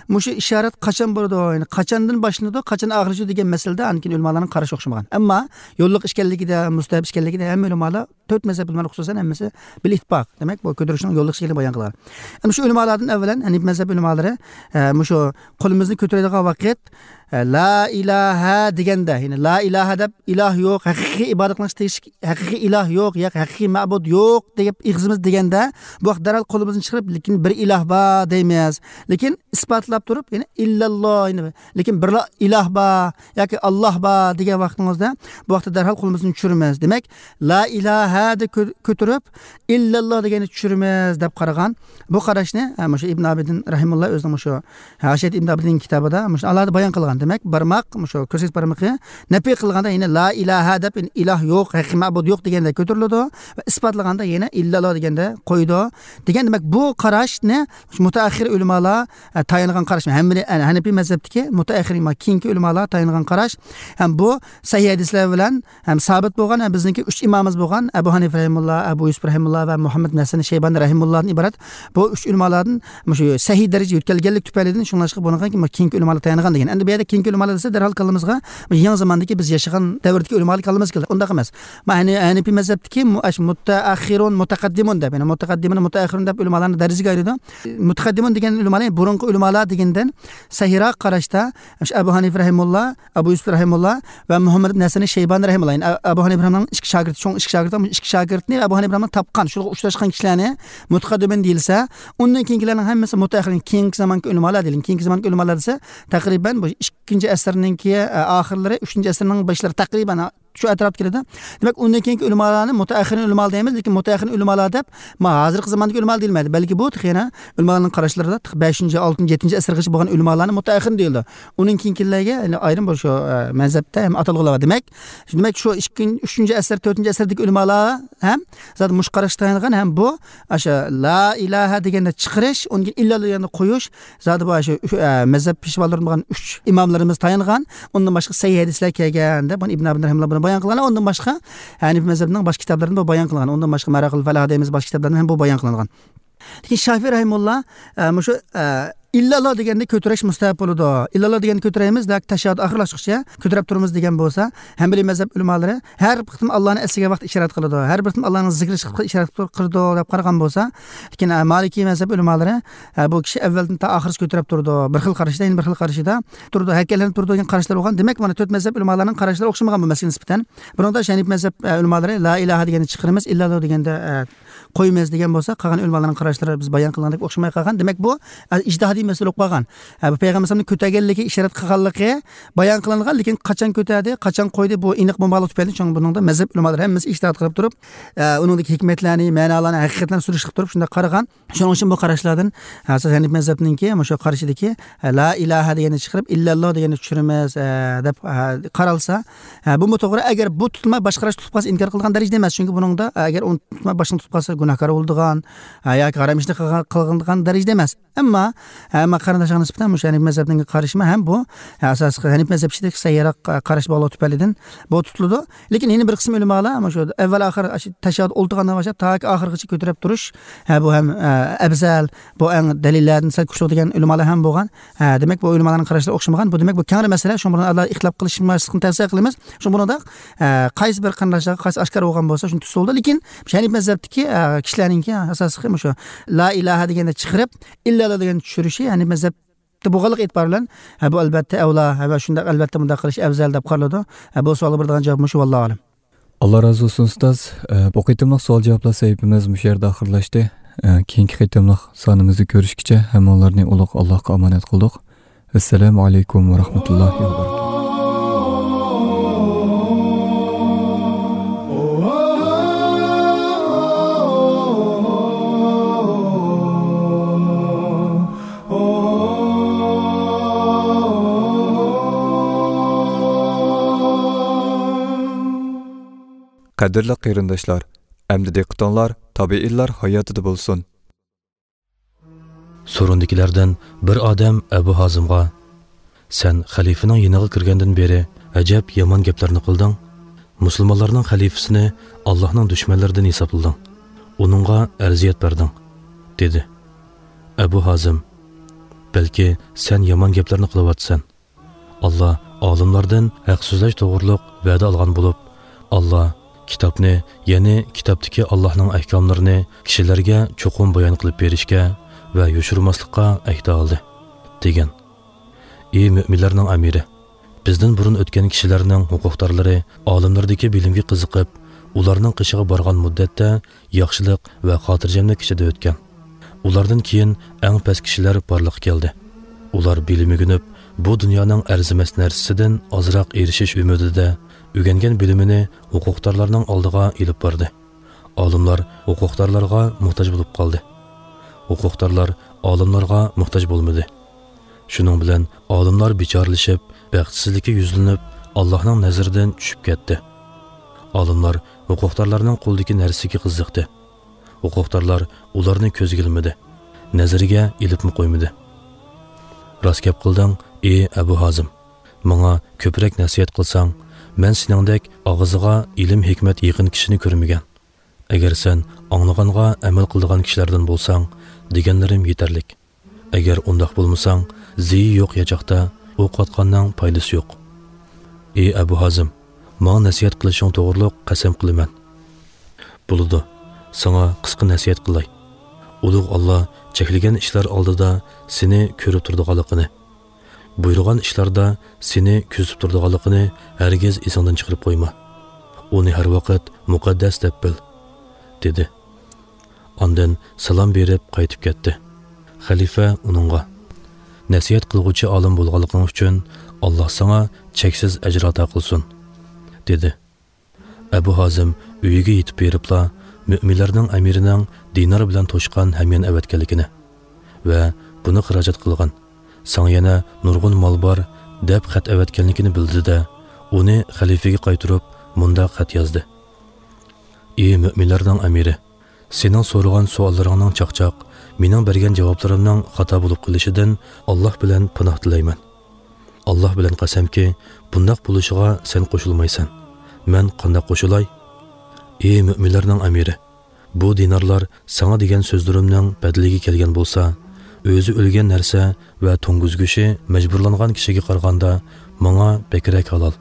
مۇشۇ ئىشارەت قاچان بولىدۇ، يەنى قاچاندىن باشلىنىدۇ، قاچان ئاخىرلىشىدۇ دېگەن مەسىلىدە ئاندىن كېيىن ئۆلىمالارنىڭ قارىشى ئوخشىمىغان. ئەمما يوللۇق ئىكەنلىكىدە، مۇستەھەب ئىكەنلىكىدە ھەممە ئۆلىمالار تۆت مەزھەپ ئۆلىمالىرى خۇسۇسەن ھەممىسى بىل ئىتتىپاق. دېمەك، بۇ كۆتۈرۈشنىڭ يوللۇق ئىكەنلىكىنى بايان قىلغان. ئەمما شۇ ئۆلىمالاردىن ئەۋۋەلەن ھەنىپىي مەزھەپ ئۆلىمالىرى، ئە، مۇشۇ قولىمىزنى كۆتۈرىدىغان ۋاقىت، ئە، لا ئىلاھە دېگەندە، يەنى لا ئىلاھە دەپ ئىلاھ يوق، ھەقىقىي ئىبادەت قىلىنىش تېگىشلىك ھەقىقىي ئىلاھ يوق، ياكى ھەقىقىي مەبۇد يوق دەپ ئېغىزىمىز دېگەندە، بۇ ۋاقىت دەرھال قولىمىزنى چىقىرىپ، لېكىن بىر ئىلاھ بار دەيمىز. لېكىن ئىسپاتلاپ تۇرۇپ، يەنى ئىللەللا، يەنى لېكىن بىرلا ئىلاھ بار ياكى ئاللاھ بار دېگەن ۋاقتىمىزدا، بۇ ۋاقىتتا دەرھال قولىمىزنى چۈشۈرىمىز. دېمەك، لا ئىلاھە دە كۆ-، كۆتۈرۈپ، ئىللەللا دېگەننى چۈشۈرىمىز دەپ قارىغان. بۇ قاراشنى، ھە، مۇشۇ ئىبن ئابىدىن رەھىمۇللا ئۆزىنىڭ مۇشۇ ھاشىيەت ئىبن ئابىدىن كىتابىدا مۇشۇ ئالاھىدە بايان قىلغان. دېمەك، بارماق، مۇشۇ كۆرسەتكۈچ بارمىقى نەپى قىلغاندا، يەنى لا ئىلاھە دەپ، يەنى ئىلاھ يوق، ھەقىقىي مەبۇد يوق دېگەندە كۆتۈرۈلىدۇ. ۋە ئىسپاتلىغاندا يەنە ئىللەللا دېگەندە قويىدۇ. دېگەن، دېمەك، بۇ قاراشنى مۇتەئەخخىر ئۆلىمالار، ئە، تايانغان قاراش. ھەممىنى، ئە، ھەنەپىي مەزھەپتىكى مۇتەئەخخىر، كېيىنكى ئۆلىمالار تايانغان قاراش. ھەم بۇ سەھىھ ھەدىسلەر بىلەن ھەم سابىت بولغان، ھەم بىزنىڭكى ئۈچ ئىمامىمىز بولغان، ئە، ئەبۇ ھەنىفە رەھىمۇللا، ئەبۇ يۈسۈپ رەھىمۇللا ۋە مۇھەممەد نەسەن شەيبانى رەھىمۇللادىن ئىبارەت بۇ ئۈچ ئۆلىمالادىن مۇشۇ سەھىھ دەرىجىگە يۆتكەلگەنلىك تۈپەيلىدىن، شۇڭلاشقا بۇنىڭغا كېيىنكى ئۆلىمالار تايانغان دېگەن. ئەمدى بۇ يەردە كېيىنكى ئۆلىمالار دېسە، دەرھال كاللىمىزغا يېڭى زاماندىكى بىز ياشىغان دەۋردىكى ئۆلىمالار كاللىمىزغا كېلىدۇ. ئۇنداق ئەمەس. مانا ھەنى-، ھەنىپىي مەزھەپتىكى مۇ-، ئاش-، مۇتەئەخخىرۇن، مۇتەقەددىمۇن دەپ، يەنى مۇتەقەددىمۇن، مۇتەئەخخىرۇن دەپ ئۆلىمالارنى دەرىجىگە ئايرىيدۇ. مۇتەقەددىمۇن دېگەن ئۆلىمالار، بۇرۇنقى ئۆلىمالار دېگەندىن سەھىھراق قاراشتا، ئەبۇ ھەنىفە رەھىمۇللا، ئەبۇ يۈسۈپ رەھىمۇللا ۋە مۇھەممەد ئىبن ھەسەن شەيبانى رەھىمۇللا. يەنى ئەبۇ ھەنىفە رەھىمۇللانىڭ ئىككى شاگىرتى، چوڭ ئىككى شاگىرتى، ئىككى شاگىرتنى ئەبۇ ھەنىفە رەھىمۇللانىڭ تاپقان، شۇلارغا ئۇچراشقان كىشىلەرنى مۇتەقەددىمۇن دېيىلسە، ئۇندىن كېيىنكىلەرنىڭ ھەممىسى مۇتەئەخخىرۇن، كېيىنكى زامانكى ئۆلىمالار دېيىلگەن. كېيىنكى زامانكى ئۆلىمالار دېسە، تەقرىبەن بۇ ئىككىنچى ئەسىرنىڭكى، ئە، ئاخىرلىرى، ئۈچىنچى ئەسىرنىڭ باشلىرى تەقرىبەن شۇ ئەتراپتا كېلىدۇ. دېمەك، ئۇندىن كېيىنكى ئۆلىمالارنى مۇتەئەخخىرۇن ئۆلىمالار دەيمىز، لېكىن مۇتەئەخخىرۇن ئۆلىمالار دەپ، ما، ھازىرقى زاماندىكى ئۆلىمالار دېيىلمەيدۇ. بەلكى بۇ تېخى يەنە ئۆلىمالارنىڭ قاراشلىرىدا تېخى بەشىنچى، ئالتىنچى، يەتتىنچى ئەسىرگىچە بولغان ئۆلىمالارنى مۇتەئەخخىرۇن دېيىلىدۇ. ئۇنىڭ كېيىنكىلەرگە يەنە ئايرىم بۇ شۇ، ئە، مەزھەپتە ھەم ئاتالغۇلار بار. دېمەك، شۇ، دېمەك، شۇ ئىككىنچى، ئۈچىنچى ئەسىر، تۆتىنچى ئەسىردىكى ئۆلىمالار ھەم زادى مۇشۇ قاراشقا تايانغان ھەم بۇ، ئاشۇ لا ئىلاھە دېگەندە چىقىرىش، ئۇنىڭ كېيىن ئىللا دېگەندە قويۇش، زادى بۇ ئاشۇ، ئە، مەزھەپ پېشۋالىرىدىن بولغان ئۈچ ئىماملىرىمىز تايانغان، ئۇندىن باشقا سەھىھ ھەدىسلەر كەلگەن دەپ، بۇنى ئىبن ئابىدىن رەھىمۇللا بۇنى بايان قىلغان، ئۇندىن باشقا ھەنىپىي مەزھەپنىڭ باشقا كىتابلىرىدىمۇ بايان قىلغان، ئۇندىن باشقا ماراقىل فەلاھ دەيمىز، باشقا كىتابلاردا ھەم بۇ بايان قىلىنغان. لېكىن شافىئى رەھىمۇللا، ئە، مۇشۇ، ئە، ئىللاللا دېگەندە كۆتۈرۈش مۇستەھەب بولىدۇ. ئىللاللا دېگەندە كۆتۈرەيمىز، لېكىن تەشەھھۇد ئاخىرلاشقۇچە كۆتۈرۈپ تۇرىمىز دېگەن بولسا، ھەنبەلىي مەزھەپ ئۆلىمالىرى ھەر بىر قېتىم ئاللانى ئەسلىگەن ۋاقىت ئىشارەت قىلىدۇ. ھەر بىر قېتىم ئاللانىڭ زىكرى ئىشارەت قىلىدۇ دەپ قارىغان بولسا، لېكىن، ئە، مالىكىي مەزھەپ ئۆلىمالىرى، ئە، بۇ كىشى ئەۋۋەلدىن تا ئاخىرىغىچە كۆتۈرۈپ تۇرىدۇ. بىر خىل قارىشىدا، يەنە بىر خىل قارىشىدا تۇرىدۇ، ھەرىكەتلىنىپ تۇرىدۇ دېگەن قاراشلار بولغان. دېمەك، مانا تۆت مەزھەپ ئۆلىمالارنىڭ قاراشلىرى ئوخشىمىغان بۇ مەسىلىگە نىسبەتەن. بۇنىڭدا شەنىپىي مەزھەپ، ئە، ئۆلىمالىرى لا ئىلاھە دېگەننى چىقىرىمىز، ئىللاللا دېگەندە، ئە، قويىمىز دېگەن بولسا، قالغان ئۆلىمالارنىڭ قاراشلىرى بىز بايان قىلغاندەك ئوخشىماي قالغان. دېمەك، بۇ، ئە، ئىجتىھادىي مەسىلە بولۇپ قالغان. ئە، بۇ پەيغەمبەر ئەلەيھىسسالامنى كۆتەرگەنلىكى ئىشارەت قىلغانلىقى بايان قىلىنغان، لېكىن قاچان كۆتەردى، قاچان قويدى، بۇ ئېنىق بولمىغانلىقى تۈپەيلىدىن، شۇڭا بۇنىڭدا مەزھەپ ئۆلىمالىرى ھەممىسى ئىجتىھاد قىلىپ تۇرۇپ، ئە، ئۇنىڭدىكى ھېكمەتلەرنى، مەنالارنى، ھەقىقەتلەرنى سۈرۈشتۈرۈپ تۇرۇپ شۇنداق قارىغان. شۇنىڭ ئۈچۈن بۇ قاراشلاردىن، ھە، ئەساسەن ھەنىپىي مەزھەپنىڭكى مۇشۇ قارىشىدىكى، ھە، لا ئىلاھە دېگەننى چىقىرىپ، ئىللەللا دېگەننى چۈشۈرىمىز، ھە، دەپ، ھە، قارالسا، ھە، بۇمۇ توغرا. ئەگەر بۇ تۇتۇلما باشقا قاراش تۇتۇپ قالسا، ئىنكار قىلىدىغان دەرىجىدە ئەمەس. چۈنكى بۇنىڭدا، ئەگەر ئۇنى تۇتۇلما باشقىنى تۇتۇپ قالسا، گۇناھكار بولىدىغان، ھە، ياكى ھارام ئىشنى قىلغان، قىلغان دەرىجىدە ئەمەس. ئەمما، ھە، ئەمما قېرىنداشلارغا نىسبەتەن مۇشۇ ھەنىپىي مەزھەپنىڭ قارىشىمۇ ھەم بۇ، ھە، ئاساسلىق ھەنىپىي مەزھەپ ئىچىدىكى سەھىھراق قاراش بولغانلىقى تۈپەيلىدىن بۇ تۇتۇلىدۇ. لېكىن يەنە بىر قىسىم ئۆلىمالار مۇشۇ ئەۋۋەل ئاخىر ئاشۇ تەشەھھۇدتا ئولتۇرغاندىن باشلاپ تاكى ئاخىرغىچە كۆتۈرۈپ تۇرۇش، ھە، بۇ ھەم، ئە، ئەۋزەل، بۇ ئەڭ دەلىللەردىن سەل كۈچلۈك دېگەن ئۆلىمالار ھەم بولغان. ھە، دېمەك، بۇ ئۆلىمالارنىڭ قاراشلىرى ئوخشىمىغان. بۇ، دېمەك، بۇ كەڭرى مەسىلە. شۇڭا بۇنى ئالاھىدە ئىختىلاپ قىلىشماسلىقنى تەۋسىيە قىلىمىز. شۇڭا بۇنىڭدا، ئە، قايسى بىر قېرىنداشلارغا قايسى ئاشكارا بولغان بولسا، شۇنى تۇتسا بولىدۇ. لېكىن شۇ ھەنىپىي مەزھەپتىكى، ئە، كىشىلەرنىڭكى ئاساسلىقى مۇشۇ لا ئىلاھە دېگەندە چىقىرىپ، ئىللەللا دېگەندە چۈشۈرۈشى ھەنىپىي مەزھەپ بولغانلىقى ئېتىبارى بىلەن، ھە، بۇ ئەلۋەتتە ئەۋلا، ھە، ۋە شۇنداق ئەلۋەتتە مۇنداق قىلىش ئەۋزەل دەپ قارىلىدۇ. ھە، بۇ سوئالغا بېرىدىغان جاۋاب مۇشۇ، ۋاللاھۇ ئەلەم. ئاللا رازى بولسۇن، ئۇستاز. ئە، بۇ قېتىملىق سوئال جاۋابلار سەھىپىمىز مۇشۇ يەردە ئاخىرلاشتى. ئە، كېيىنكى قېتىملىق سانىمىزدا كۆرۈشكىچە ھەممىڭلارنى ئۇلۇغ ئاللاھقا ئامانەت قىلدۇق. ئەسسالامۇ ئەلەيكۇم ۋە رەھمەتۇللاھى ۋە بەرىكاتۇھ. قەدىرلىك قېرىنداشلار، ئەمدى دىققىتىڭلار تابىئىنلار ھاياتىدا بولسۇن. سورۇندىكىلەردىن بىر ئادەم ئەبۇ ھازىمغا، سەن خەلىپىنىڭ يېنىغا كىرگەندىن بېرى ئەجەب يامان گەپلەرنى قىلدىڭ. مۇسۇلمانلارنىڭ خەلىپىسىنى ئاللاھنىڭ دۈشمەنلىرىدىن ھېسابلىدىڭ. ئۇنىڭغا ئەرزىيەت بەردىڭ، دېدى. ئەبۇ ھازىم، بەلكى سەن يامان گەپلەرنى قىلىۋاتىسەن. ئاللا ئالىملاردىن ھەق سۆزلەش توغرۇلۇق ۋەدە ئالغان بولۇپ، ئاللا كىتابنى، يەنى كىتابتىكى ئاللاھنىڭ ئەھكاملىرىنى كىشىلەرگە چوقۇم بايان قىلىپ بېرىشكە ۋە يوشۇرماسلىققا ئەھدە ئالدى، دېگەن. ئى مۆمىنلەرنىڭ ئەمىرى! بىزدىن بۇرۇن ئۆتكەن كىشىلەرنىڭ ھوقۇقدارلىرى ئالىملاردىكى بىلىمگە قىزىقىپ، ئۇلارنىڭ قېشىغا بارغان مۇددەتتە ياخشىلىق ۋە خاتىرجەملىك ئىچىدە ئۆتكەن. ئۇلاردىن كېيىن ئەڭ پەس كىشىلەر بارلىققا كەلدى. ئۇلار بىلىم ئۆگىنىپ، بۇ دۇنيانىڭ ئەرزىمەس نەرسىسىدىن ئازراق ئېرىشىش ئۈمىدىدە ئۆگەنگەن بىلىمىنى ھوقۇقدارلارنىڭ ئالدىغا ئېلىپ باردى. ئالىملار ھوقۇقدارلارغا موھتاج بولۇپ قالدى. ھوقۇقدارلار ئالىملارغا موھتاج بولمىدى. شۇنىڭ بىلەن ئالىملار بىچارىلىشىپ، بەختسىزلىككە يۈزلىنىپ، ئاللاھنىڭ نەزىرىدىن چۈشۈپ كەتتى. ئالىملار ھوقۇقدارلارنىڭ قولىدىكى نەرسىگە قىزىقتى. ھوقۇقدارلار ئۇلارنى كۆزگە ئىلمىدى، نەزىرىگە ئېلىپمۇ قويمىدى. راست گەپ قىلدىڭ، ئى ئەبۇ ھازىم! ماڭا كۆپرەك نەسىھەت قىلساڭ، مەن سېنىڭدەك ئاغزىغا ئىلىم-ھېكمەت يېقىن كىشىنى كۆرمىگەن. ئەگەر سەن ئاڭلىغانغا ئەمەل قىلىدىغان كىشىلەردىن بولساڭ، دېگەنلىرىم يېتەرلىك. ئەگەر ئۇنداق بولمىساڭ، زىيى يوق ياچاقتا ئوق ئاتقاننىڭ پايدىسى يوق. ئى ئەبۇ ھازىم، ماڭا نەسىھەت قىلىشىڭ توغرۇلۇق قەسەم قىلىمەن. بولىدۇ، ساڭا قىسقا نەسىھەت قىلاي. ئۇلۇغ ئاللا چەكلىگەن ئىشلار ئالدىدا سېنى كۆرۈپ تۇرىدىغانلىقىنى، بۇيرۇغان ئىشلاردا سېنى كۆزىتىپ تۇرىدىغانلىقىنى ھەرگىز ئېسىڭدىن چىقىرىپ قويما. ئۇنى ھەر ۋاقىت مۇقەددەس دەپ بىل، دېدى. ئاندىن سالام بېرىپ قايتىپ كەتتى. خەلىپە ئۇنىڭغا، نەسىھەت قىلغۇچى ئالىم بولغانلىقىڭ ئۈچۈن ئاللا ساڭا چەكسىز ئەجىر ئاتا قىلسۇن، دېدى. ئەبۇ ھازىم ئۆيىگە يېتىپ بېرىپلا مۆمىنلەرنىڭ ئەمىرىنىڭ دىنار بىلەن توشقان ھەميان ئەۋەتكەنلىكىنى ۋە بۇنى خىراجەت قىلغان، ساڭا يەنە نۇرغۇن مال بار، دەپ خەت ئەۋەتكەنلىكىنى بىلدى-دە، ئۇنى خەلىپىگە قايتۇرۇپ مۇنداق خەت يازدى: ئى مۆمىنلەرنىڭ ئەمىرى، سېنىڭ سورىغان سوئاللىرىڭنىڭ چاقچاق، مېنىڭ بەرگەن جاۋابلىرىمنىڭ خاتا بولۇپ قېلىشىدىن ئاللا بىلەن پاناھ تىلەيمەن. ئاللا بىلەن قەسەمكى، بۇنداق بولۇشىغا سەن قوشۇلمايسەن. مەن قانداق قوشۇلاي؟ ئى مۆمىنلەرنىڭ ئەمىرى، بۇ دىنارلار ساڭا دېگەن سۆزلىرىمنىڭ بەدىلىگە كەلگەن بولسا، ئۆزى ئۆلگەن نەرسە ۋە توڭگۇز گۆشى مەجبۇرلانغان كىشىگە قارىغاندا ماڭا بەكرەك ھالال.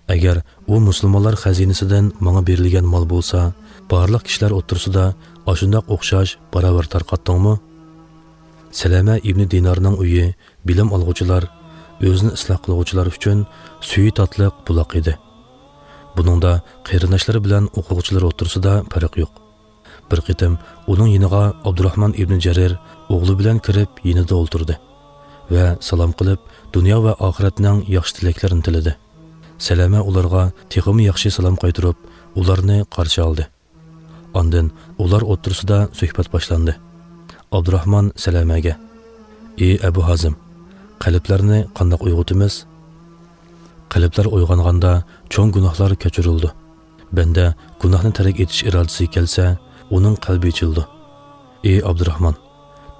ئەگەر ئۇ مۇسۇلمانلار خەزىنىسىدىن ماڭا بېرىلگەن مال بولسا، بارلىق كىشىلەر ئوتتۇرىسىدا ئاشۇنداق ئوخشاش باراۋەر تارقاتتىڭمۇ؟ سەلەمە ئىبنى دىنارنىڭ ئۆيى بىلىم ئالغۇچىلار، ئۆزىنى ئىسلاھ قىلغۇچىلار ئۈچۈن سۈيى تاتلىق بۇلاق ئىدى. بۇنىڭدا قېرىنداشلىرى بىلەن ئوقۇغۇچىلىرى ئوتتۇرىسىدا پەرق يوق. بىر قېتىم ئۇنىڭ يېنىغا ئابدۇراخمان ئىبنى جەرىر ئوغلى بىلەن كىرىپ يېنىدا ئولتۇردى ۋە سالام قىلىپ، دۇنيا ۋە ئاخىرەتنىڭ ياخشى تىلەكلىرىنى تىلىدى. سەلەمە ئۇلارغا تېخىمۇ ياخشى سالام قايتۇرۇپ، ئۇلارنى قارشى ئالدى. ئاندىن ئۇلار ئوتتۇرىسىدا سۆھبەت باشلاندى. ئابدۇراخمان سەلەمەگە، ئى ئەبۇ ھازىم، قەلبلەرنى قانداق ئويغىتىمىز؟ قەلبلەر ئويغانغاندا چوڭ گۇناھلار كەچۈرۈلىدۇ. بەندە گۇناھنى تەرك ئېتىش ئىرادىسىگە كەلسە، ئۇنىڭ قەلبى ئېچىلىدۇ. ئى ئابدۇراخمان،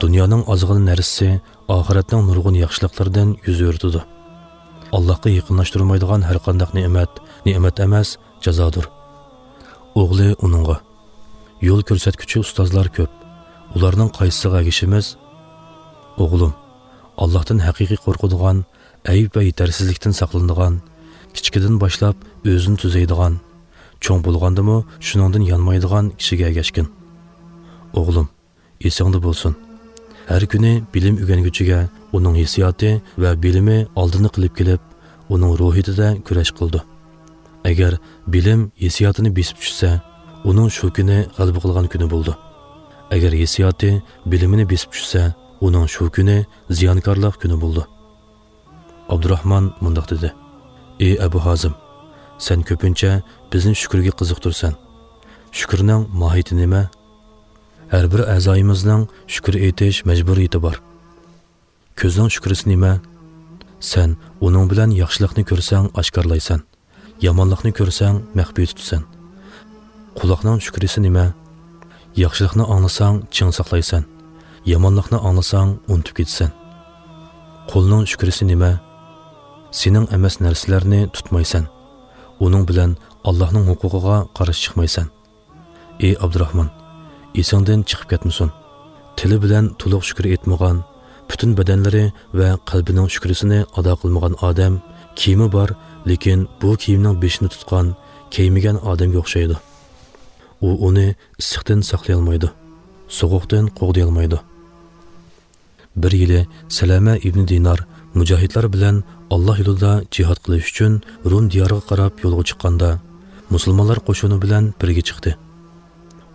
دۇنيانىڭ ئازغىنە نەرسىسى ئاخىرەتنىڭ نۇرغۇن ياخشىلىقلىرىدىن يۈز ئۆرۈتىدۇ. ئاللاھقا يېقىنلاشتۇرمايدىغان ھەرقانداق نېمەت، نېمەت ئەمەس، جازادۇر. ئوغلى ئۇنىڭغا، يول كۆرسەتكۈچى ئۇستازلار كۆپ، ئۇلارنىڭ قايسىسىغا ئەگىشىمىز؟ ئوغلۇم، ئاللاھتىن ھەقىقىي قورقىدىغان، ئەيىب ۋە يېتەرسىزلىكتىن ساقلىنىدىغان، كىچىكىدىن باشلاپ ئۆزىنى تۈزەيدىغان، چوڭ بولغاندىمۇ شۇنىڭدىن يانمايدىغان كىشىگە ئەگەشكىن. ئوغلۇم، ئېسىڭدە بولسۇن، ھەر كۈنى بىلىم ئۆگەنگۈچىگە ئۇنىڭ ھېسسىياتى ۋە بىلىمى ئالدىنى قىلىپ كېلىپ، ئۇنىڭ روھىيىتىدە كۈرەش قىلىدۇ. ئەگەر بىلىم ھېسسىياتىنى بېسىپ چۈشسە، ئۇنىڭ شۇ كۈنى غەلىبە قىلغان كۈنى بولىدۇ. ئەگەر ھېسسىياتى بىلىمىنى بېسىپ چۈشسە، ئۇنىڭ شۇ كۈنى زىيانكارلىق كۈنى بولىدۇ. ئابدۇراخمان مۇنداق دېدى: ئى ئەبۇ ھازىم، سەن كۆپىنچە بىزنى شۈكۈرگە قىزىقتۇرىسەن. شۈكۈرنىڭ ماھىيىتى نېمە؟ ھەر بىر ئەزايىمىزنىڭ شۈكۈر ئېيتىش مەجبۇرىيىتى بار. كۆزنىڭ شۈكرىسى نېمە؟ سەن ئۇنىڭ بىلەن ياخشىلىقنى كۆرسەڭ ئاشكارىلايسەن، يامانلىقنى كۆرسەڭ مەخپىي تۇتىسەن. قۇلاقنىڭ شۈكرىسى نېمە؟ ياخشىلىقنى ئاڭلىساڭ چىڭ ساقلايسەن، يامانلىقنى ئاڭلىساڭ ئۇنتۇپ كېتىسەن. قولنىڭ شۈكرىسى نېمە؟ سېنىڭ ئەمەس نەرسىلەرنى تۇتمايسەن، ئۇنىڭ بىلەن ئاللاھنىڭ ھوقۇقىغا قارشى چىقمايسەن. ئى ئابدۇراخمان، ئېسىڭدىن چىقىپ كەتمىسۇن. تىلى بىلەن تولۇق شۈكۈر ئېيتمىغان، پۈتۈن بەدەنلىرى ۋە قەلبىنىڭ شۈكرىسىنى ئادا قىلمىغان ئادەم، كىيىمى بار، لېكىن بۇ كىيىمنىڭ بېشىنى تۇتقان، كىيمىگەن ئادەمگە ئوخشايدۇ. ئۇ ئۇنى ئىسسىقتىن ساقلىيالمايدۇ، سوغۇقتىن قوغدىيالمايدۇ. بىر يىلى سەلەمە ئىبنى دىنار مۇجاھىدلار بىلەن ئاللا يولىدا جىھاد قىلىش ئۈچۈن رۇم دىيارىغا قاراپ يولغا چىققاندا، مۇسۇلمانلار قوشۇنى بىلەن بىرگە چىقتى.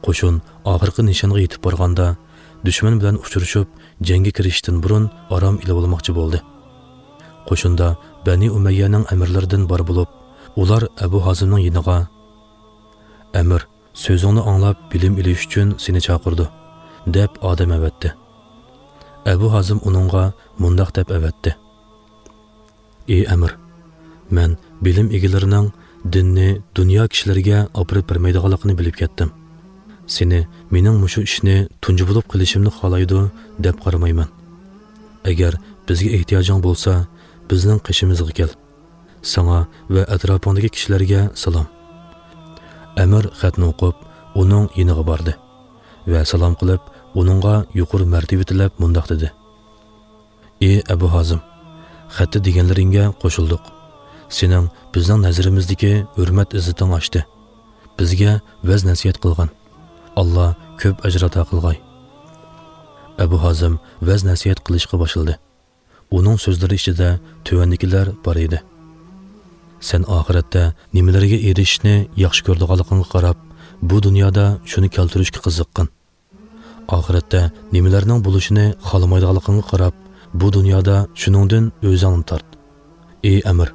قوشۇن ئاخىرقى نىشانغا يېتىپ بارغاندا، دۈشمەن بىلەن ئۇچرىشىپ، جەڭگە كىرىشىشتىن بۇرۇن ئارام ئېلىۋالماقچى بولدى. قوشۇندا بەنى ئۇمەييەنىڭ ئەمىرلىرىدىن بار بولۇپ، ئۇلار ئەبۇ ھازىمنىڭ يېنىغا، ئەمىر، سۆزۈڭنى ئاڭلاپ بىلىم ئېلىش ئۈچۈن سېنى چاقىرىدۇ، دەپ ئادەم ئەۋەتتى. ئەبۇ ھازىم ئۇنىڭغا مۇنداق دەپ ئەۋەتتى: ئى ئەمىر، مەن بىلىم ئىگىلىرىنىڭ دىننى دۇنيا كىشىلىرىگە ئاپىرىپ بەرمەيدىغانلىقىنى بىلىپ كەتتىم. سېنى مېنىڭ مۇشۇ ئىشنى تۇنجى بولۇپ قىلىشىمنى خالايدۇ دەپ قارىمايمەن. ئەگەر بىزگە ئېھتىياجىڭ بولسا، بىزنىڭ قېشىمىزغا كەل. ساڭا ۋە ئەتراپىڭدىكى كىشىلەرگە سالام. ئەمىر خەتنى ئوقۇپ، ئۇنىڭ يېنىغا باردى ۋە سالام قىلىپ، ئۇنىڭغا يۇقىرى مەرتىۋە تىلەپ مۇنداق دېدى: ئى ئەبۇ ھازىم، خەتتە دېگەنلىرىڭگە قوشۇلدۇق. سېنىڭ بىزنىڭ نەزىرىمىزدىكى ھۆرمەت-ئىززىتىڭ ئاشتى. بىزگە ۋەز-نەسىھەت قىلغان. ئاللا كۆپ ئەجىر ئاتا قىلغاي. ئەبۇ ھازىم ۋەز-نەسىھەت قىلىشقا باشلىدى. ئۇنىڭ سۆزلىرى ئىچىدە تۆۋەندىكىلەر بار ئىدى: سەن ئاخىرەتتە نېمىلەرگە ئېرىشىشنى ياخشى كۆرىدىغانلىقىڭغا قاراپ، بۇ دۇنيادا شۇنى كەلتۈرۈشكە قىزىققىن. ئاخىرەتتە نېمىلەرنىڭ بولۇشىنى خالىمايدىغانلىقىڭغا قاراپ، بۇ دۇنيادا شۇنىڭدىن ئۆزۈڭنى تارت. ئى ئەمىر،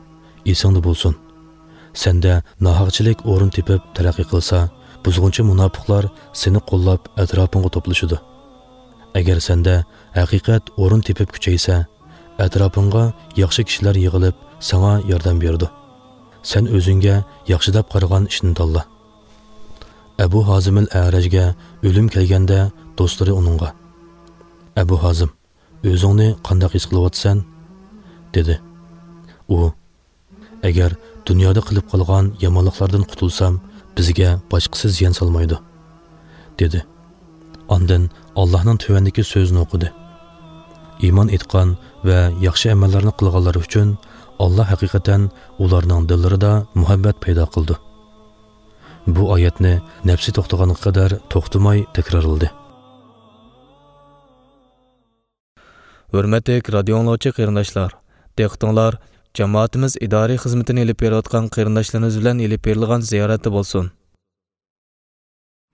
ئېسىڭدە بولسۇن. سەندە ناھەقچىلىك ئورۇن تېپىپ تەرەققىي قىلسا، بۇزغۇنچى مۇناپىقلار سېنى قوللاپ ئەتراپىڭغا توپلىشىدۇ. ئەگەر سەندە ھەقىقەت ئورۇن تېپىپ كۈچەيسە، ئەتراپىڭغا ياخشى كىشىلەر يىغىلىپ ساڭا ياردەم بېرىدۇ. سەن ئۆزۈڭگە ياخشى دەپ قارىغان ئىشنى تاللا. ئەبۇ ھازىمىل ئەرەجگە ئۆلۈم كەلگەندە دوستلىرى ئۇنىڭغا: ئەبۇ ھازىم، ئۆزۈڭنى قانداق ھېس قىلىۋاتىسەن؟ دېدى. ئۇ: ئەگەر دۇنيادا قىلىپ قالغان يامانلىقلاردىن قۇتۇلسام، بىزگە باشقىسى زىيان سالمايدۇ، دېدى. ئاندىن ئاللاھنىڭ تۆۋەندىكى سۆزىنى ئوقۇدى: ئىمان ئېيتقان ۋە ياخشى ئەمەللەرنى قىلغانلار ئۈچۈن ئاللا ھەقىقەتەن ئۇلارنىڭ دىللىرىدا مۇھەببەت پەيدا قىلىدۇ. بۇ ئايەتنى نەپسى توختىغانغا قەدەر توختىماي تەكرارلىدى. ھۆرمەتلىك رادىيو ئاڭلىغۇچى قېرىنداشلار، دىققىتىڭلار جامائىتىمىز ئىدارىي خىزمىتىنى ئېلىپ بېرىۋاتقان قېرىنداشلىرىمىز بىلەن ئېلىپ بېرىلغان زىيارەتتە بولسۇن.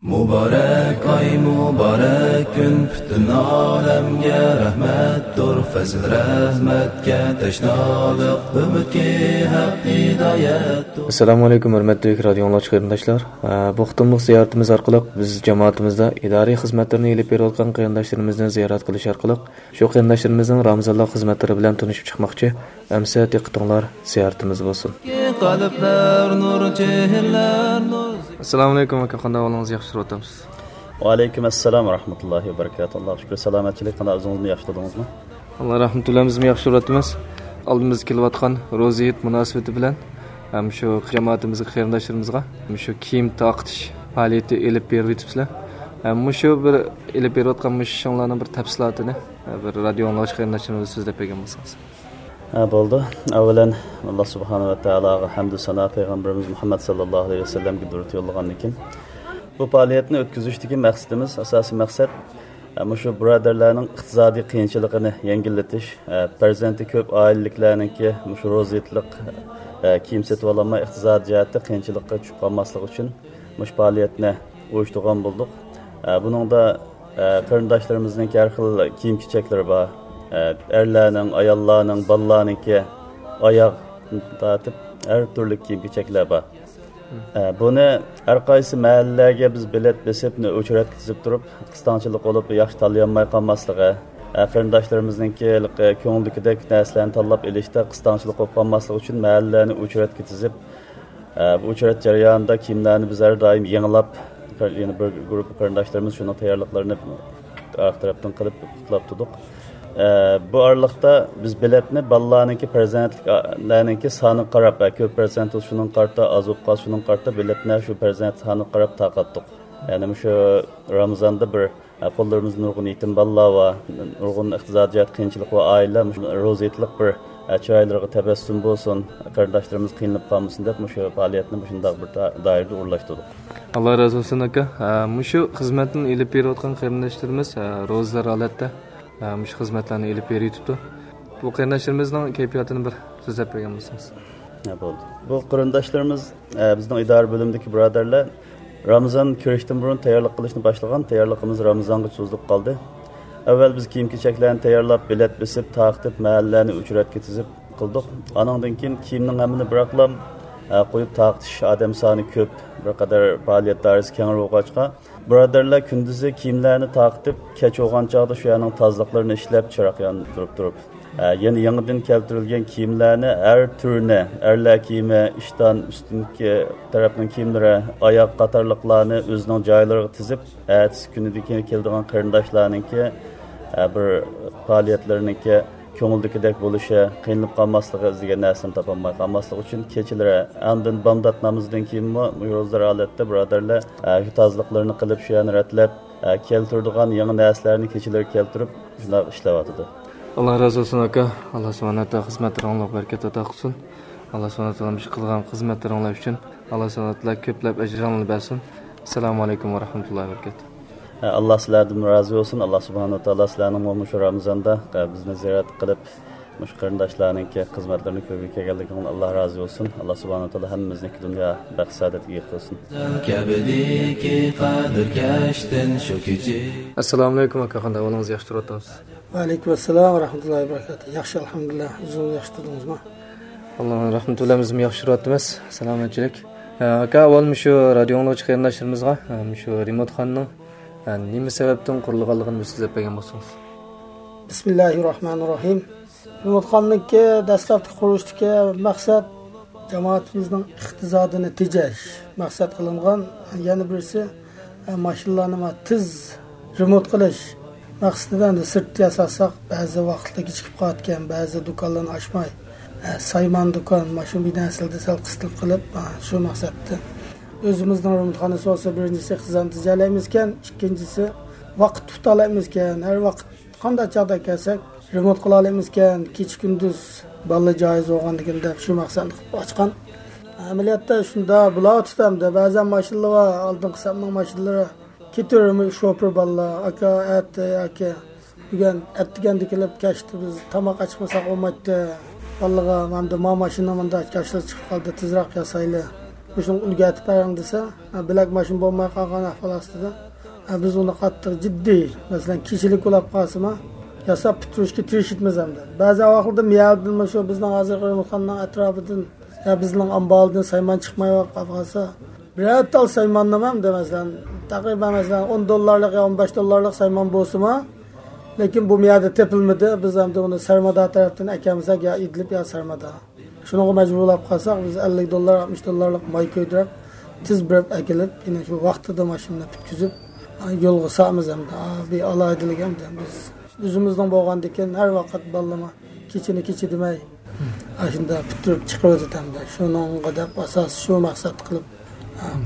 مۇبارەك ئاي، مۇبارەك كۈن، پۈتۈن ئالەمگە رەھمەتتۇر، پەزىل رەھمەتكە تەشنالىق، ئۈمىدكى ھەق ھىدايەتتۇر. ئەسسالامۇ ئەلەيكۇم، ھۆرمەتلىك رادىيو ئاڭلىغۇچى قېرىنداشلار. ئە، بۇ قېتىملىق زىيارىتىمىز ئارقىلىق بىز جامائىتىمىزدا ئىدارىي خىزمەتلىرىنى ئېلىپ بېرىۋاتقان قېرىنداشلىرىمىزنى زىيارەت قىلىش ئارقىلىق شۇ قېرىنداشلىرىمىزنىڭ رامىزانلىق خىزمەتلىرى بىلەن تونۇشۇپ چىقماقچى. ئەمىسە دىققىتىڭلار زىيارىتىمىزدە بولسۇن. قەلبلەر نۇر، چېھرىلەر نۇر. ئەسسالامۇ ئەلەيكۇم ئاكا، قانداق ئەھۋالىڭىز؟ ياخشى تۇرۇۋاتامسىز؟ ۋەئەلەيكۇم ئەسسالام ۋە رەھمەتۇللاھى ۋە بەرىكاتۇھ. ئاللاغا شۈكۈر، سالامەتچىلىك. قانداق، ئۆزىڭىزمۇ ياخشى تۇردىڭىزمۇ؟ ئاللا رەھمىتى بىلەن بىزمۇ ياخشى تۇرۇۋاتىمىز. ئالدىمىزدا كېلىۋاتقان روزا ھېيت مۇناسىۋىتى بىلەن ھەم شۇ جامائىتىمىزغا، قېرىنداشلىرىمىزغا مۇشۇ كىيىم تارقىتىش پائالىيىتى ئېلىپ بېرىۋېتىپسىلەر. ھەم مۇشۇ بىر ئېلىپ بېرىۋاتقان مۇشۇ ئىشىڭلارنىڭ بىر تەپسىلاتىنى بىر رادىيو ئاڭلىغۇچى قېرىنداشلىرىمىزغا سۆزلەپ بەرگەن بولسىڭىز. ھە، بولىدۇ. ئەۋۋەلەن، ئاللا سۇبھانەھۇ ۋە تائالاغا ھەمدۇ سانا، پەيغەمبىرىمىز مۇھەممەد ساللاللاھۇ ئەلەيھى ۋەسەللەمگە دۇرۇت يوللىغاندىن كېيىن، بۇ پائالىيەتنى ئۆتكۈزۈشتىكى مەقسىتىمىز، ئاساسىي مەقسەت، ئە، مۇشۇ بۇرادەرلەرنىڭ ئىقتىسادىي قىيىنچىلىقىنى يەڭگىللىتىش، ئە، پەرزەنتى كۆپ ئائىلىلىكلەرنىڭكى مۇشۇ روزا ھېيتلىق، ئە، كىيىم سېتىۋالالماي ئىقتىسادىي جەھەتتە قىيىنچىلىققا چۈشۈپ قالماسلىقى ئۈچۈن مۇشۇ پائالىيەتنى ئۇيۇشتۇرغان بولدۇق. ئە، بۇنىڭدا، ئە، قېرىنداشلىرىمىزنىڭكى ھەر خىل كىيىم-كېچەكلىرى بار. ئە، ئەرلەرنىڭ، ئاياللارنىڭ، بالىلارنىڭكى ئاياغدىن تارتىپ ھەر تۈرلۈك كىيىم-كېچەكلەر بار. ئە، بۇنى ھەر قايسى مەھەللىلەرگە بىز بېلەت بېسىپ، ئوچېرەتكە تىزىپ تۇرۇپ، قىستاڭچىلىق بولۇپ، ياخشى تاللىيالماي قالماسلىقى، ئە، قېرىنداشلىرىمىزنىڭكى ھېلىقى كۆڭلىدىكىدەك نەرسىلەرنى تاللاپ ئېلىشتا قىستاڭچىلىق بولۇپ قالماسلىقى ئۈچۈن مەھەللىلەرنى ئوچېرەتكە تىزىپ، ئە، بۇ ئوچېرەت جەريانىدا كىيىملەرنى بىز ھەر دائىم يېڭىلاپ، يەنە بىر گۇرۇپپا قېرىنداشلىرىمىز شۇنىڭ تەييارلىقلىرىنى ئارقا تەرەپتىن قىلىپ قۇتلاپ تۇردۇق. ئە، بۇ ئارىلىقتا بىز بېلەتنى بالىلارنىڭكى، پەرزەنتلىكلەرنىڭكى سانىغا قاراپ، ئە، كۆپ پەرزەنت بولسا شۇنىڭغا قارىتا، ئاز بولۇپ قالسا شۇنىڭغا قارىتا بېلەتنى شۇ پەرزەنت سانىغا قاراپ تارقاتتۇق. يەنى مۇشۇ رامىزاندا بىر، ئە، قوللىرىمىزدا نۇرغۇن يېتىم بالىلار بار، نۇرغۇن ئىقتىسادىي جەھەتتە قىيىنچىلىقى بار ئائىلىلەر مۇشۇ روزا ھېيتلىق بىر، ئە، چىرايلىرىغا تەبەسسۇم بولسۇن، قېرىنداشلىرىمىز قىينىلىپ قالمىسۇن دەپ مۇشۇ پائالىيەتنى مۇشۇنداق بىر دا-، دائىرىدە ئورۇنلاشتۇردۇق. ئاللا رازى بولسۇن ئاكا. ھە، مۇشۇ خىزمەتنى ئېلىپ بېرىۋاتقان قېرىنداشلىرىمىز، ھە، روزىدار ھالەتتە، ھە، مۇشۇ خىزمەتلەرنى ئېلىپ بېرىۋېتىپتۇ. بۇ قېرىنداشلىرىمىزنىڭ كەيپىياتىنى بىر سۆزلەپ بەرگەن بولسىڭىز. ھە، بولدى. بۇ قېرىنداشلىرىمىز، ئە، بىزنىڭ ئىدارە بۆلۈمىدىكى بۇرادەرلەر رامىزان كىرىشتىن بۇرۇن تەييارلىق قىلىشنى باشلىغان، تەييارلىقىمىز رامىزانغا سوزۇلۇپ قالدى. ئەۋۋەل بىز كىيىم-كېچەكلەرنى تەييارلاپ، بېلەت بېسىپ، تارقىتىپ، مەھەللىلەرنى ئوچېرەتكە تىزىپ قىلدۇق. ئانىڭدىن كېيىن كىيىمنىڭ ھەممىنى بىراقلا، ئە، قويۇپ تارقىتىش ئادەم سانى كۆپ، بىر قەدەر پائالىيەت دائىرىسى كەڭرى بولغاچقا، بۇرادەرلەر كۈندۈزى كىيىملەرنى تارقىتىپ، كەچ بولغان چاغدا شۇ يەرنىڭ تازىلىقلىرىنى ئىشلەپ، چىراغ ياندۇرۇپ تۇرۇپ، ئە، يەنە يېڭىدىن كەلتۈرۈلگەن كىيىملەرنى ھەر تۈرىنى، ئەرلەر كىيىمى، ئىشتان، ئۈستۈنكى تەرەپنىڭ كىيىملىرى، ئاياغ قاتارلىقلارنى ئۆزىنىڭ جايلىرىغا تىزىپ، ئەتىسى كۈنىدىكى كېلىدىغان قېرىنداشلارنىڭكى، ئە، بىر پائالىيەتلىرىنىڭكى كۆڭۈلدىكىدەك بولۇشى، قىينىلىپ قالماسلىقى، ئىزدىگەن نەرسىنى تاپالماي قالماسلىقى ئۈچۈن كېچىلىرى، ئاندىن بامدات نامىزىدىن كېيىنمۇ روزىدار ھالەتتە بۇرادەرلەر، ئە، ئۆي تازىلىقلىرىنى قىلىپ، شۇ يەرنى رەتلەپ، ئە، كەلتۈرىدىغان يېڭى نەرسىلەرنى كېچىلىرى كەلتۈرۈپ، شۇنداق ئىشلەۋاتىدۇ. ئاللا رازى بولسۇن، ئاكا. ئاللا سۇبھانەھۇ ۋە تائالا خىزمەتلىرىڭلارغا بەرىكەت ئاتا قىلسۇن. ئاللا سۇبھانەھۇ ۋە تائالا مۇشۇ قىلغان خىزمەتلىرىڭلار ئۈچۈن ئاللا سۇبھانەھۇ ۋە تائالا كۆپلەپ ئەجرىڭلارنى بەرسۇن. ئەسسالامۇ ئەلەيكۇم ۋە رەھمەتۇللاھى ۋە بەرىكاتۇھ. ئە، ئاللا سىلەردىن رازى بولسۇن. ئاللا سۇبھانەھۇ ۋە تائالا سىلەرنىڭمۇ مۇشۇ رامىزاندا، ئە، بىزنى زىيارەت قىلىپ، مۇشۇ قېرىنداشلارنىڭكى خىزمەتلىرىنى كۆرگىلى كەلگەنلىكىڭلار ئاللا رازى بولسۇن. ئاللا سۇبھانەھۇ ۋە تائالا ھەممىمىزنىڭكى دۇنيا بەخت سائادەتكە ئىگە قىلسۇن. كەبىدىكى قەدىركەشتىن شۇ كېچە. ئەسسالامۇ ئەلەيكۇم، ئاكا، قانداق ئەھۋالىڭىز؟ ياخشى تۇرۇۋاتامسىز؟ ۋەئەلەيكۇم ئەسسالام ۋە رەھمەتۇللاھى ۋە بەرىكاتۇھ. ياخشى، ئەلھەمدۇلىللا. ئۆزىڭىز ياخشى تۇردىڭىزمۇ؟ ئاللانىڭ رەھمىتى بىلەن بىزمۇ ياخشى تۇرۇۋاتىمىز. سالامەتچىلىك. ئاكا، ئاۋۋال مۇشۇ رادىيو ئاڭلىغۇچى قېرىنداشلىرىمىزغا، مۇشۇ رېمونتخانىنىڭ نېمە سەۋەبتىن قۇرۇلغانلىقىنى بىر سۆزلەپ بەرگەن بولسىڭىز. بىسمىللاھىر راھمانىر راھىم. رېمونتخانىنىڭكى دەسلەپكى قۇرۇلۇشتىكى مەقسەت جامائىتىمىزنىڭ ئىقتىسادىنى تېجەش مەقسەت قىلىنغان. يەنە بىرسى، ئە، ماشىنىلارنى ما تېز رېمونت قىلىش مەقسىتىدە ئەمدى سىرتتا ياساتساق، بەزى ۋاقىتتا كېچىكىپ قالىدىكەن، بەزى دۇكانلارنى ئاچماي، ئە، سايمان دۇكان، ماشىنا بىناسىدا سەل قىستىلىپ قېلىپ، ئە، شۇ مەقسەتتە. ئۆزىمىزنىڭ رېمونتخانىسى بولسا، بىرىنچىسى، ئىقتىسادنى تېجەيلەيمىزكەن، ئىككىنچىسى، ۋاقىت تۇتالايمىزكەن، ھەر ۋاقىت قانداق چاغدا كەلسەك، رېمونت قىلالايمىزكەن، كېچە-كۈندۈز بالىلار جايىز بولغاندىكىن دەپ شۇ مەقسەتنى قىلىپ ئاچقان. ئەمەلىيەتتە شۇنداق بولۇۋاتىدۇ ئەمدى. بەزەن ماشىنىلار بار، ئالدىنقى سەپنىڭ ماشىنىلىرى كېتىۋېرىمۇ شوپۇر بالىلار، «ئاكا، ئەتە ياكى بۈگۈن ئەتىگەندە كېلىپ كەچتە بىز تاماق ئاچىقمىساق بولمايتتى. بالىلارغا ئەمدى ما ماشىنا مۇنداق كاشىلا چىقىپ قالدى، تېزراق ياسايلى. مۇشۇنى ئۈلگەرتىپ بېرىڭ» دېسە، ھە، بىلەك ماشىنا بولماي قالغان ئەھۋال ئاستىدا، ھە، بىز ئۇنى قاتتىق جىددىي، مەسىلەن، كېچىلىك بولاپ قالسىمۇ، ياساپ پۈتتۈرۈشكە تىرىشىپمىز ئەمدى. بەزى ۋاقىتلاردا مىيەدىن مۇشۇ بىزنىڭ ھازىرقى رېمونتخانىنىڭ ئەتراپىدىن، يا بىزنىڭ ئامبالدىن سايمان چىقماي قالىپ قالسا، بىرەر تال سايماننىمۇ ئەمدى، مەسىلەن، تەقرىبەن، مەسىلەن، ئون دوللارلىق يا ئون بەش دوللارلىق سايمان بولسىمۇ، لېكىن بۇ مىيەدە تېپىلمىدى. بىز ئەمدى ئۇنى سەرمىدار تەرەپتىن ئەكەلمىسەك، يا ئىدلىب، يا سەرمىدار. شۇنىڭغا مەجبۇر بولاپ قالساق، بىز ئەللىك دوللار، ئاتمىش دوللارلىق ماي كۆيدۈرۈپ، تېز بېرىپ ئەكېلىپ، يەنە شۇ ۋاقتىدا ماشىنىنى پۈتكۈزۈپ، يولغا سالىمىز ئەمدى. بىر ئالاھىدىلىك ئەمدى بىز ئۆزىمىزنىڭ بولغاندىكىن، ھەر ۋاقىت بالىلارمۇ كېچىنى كېچە دېمەي، ئاشۇنداق پۈتتۈرۈپ چىقىرىۋاتىدۇ ئەمدى. شۇنىڭغا دەپ ئاساس شۇ مەقسەت قىلىپ،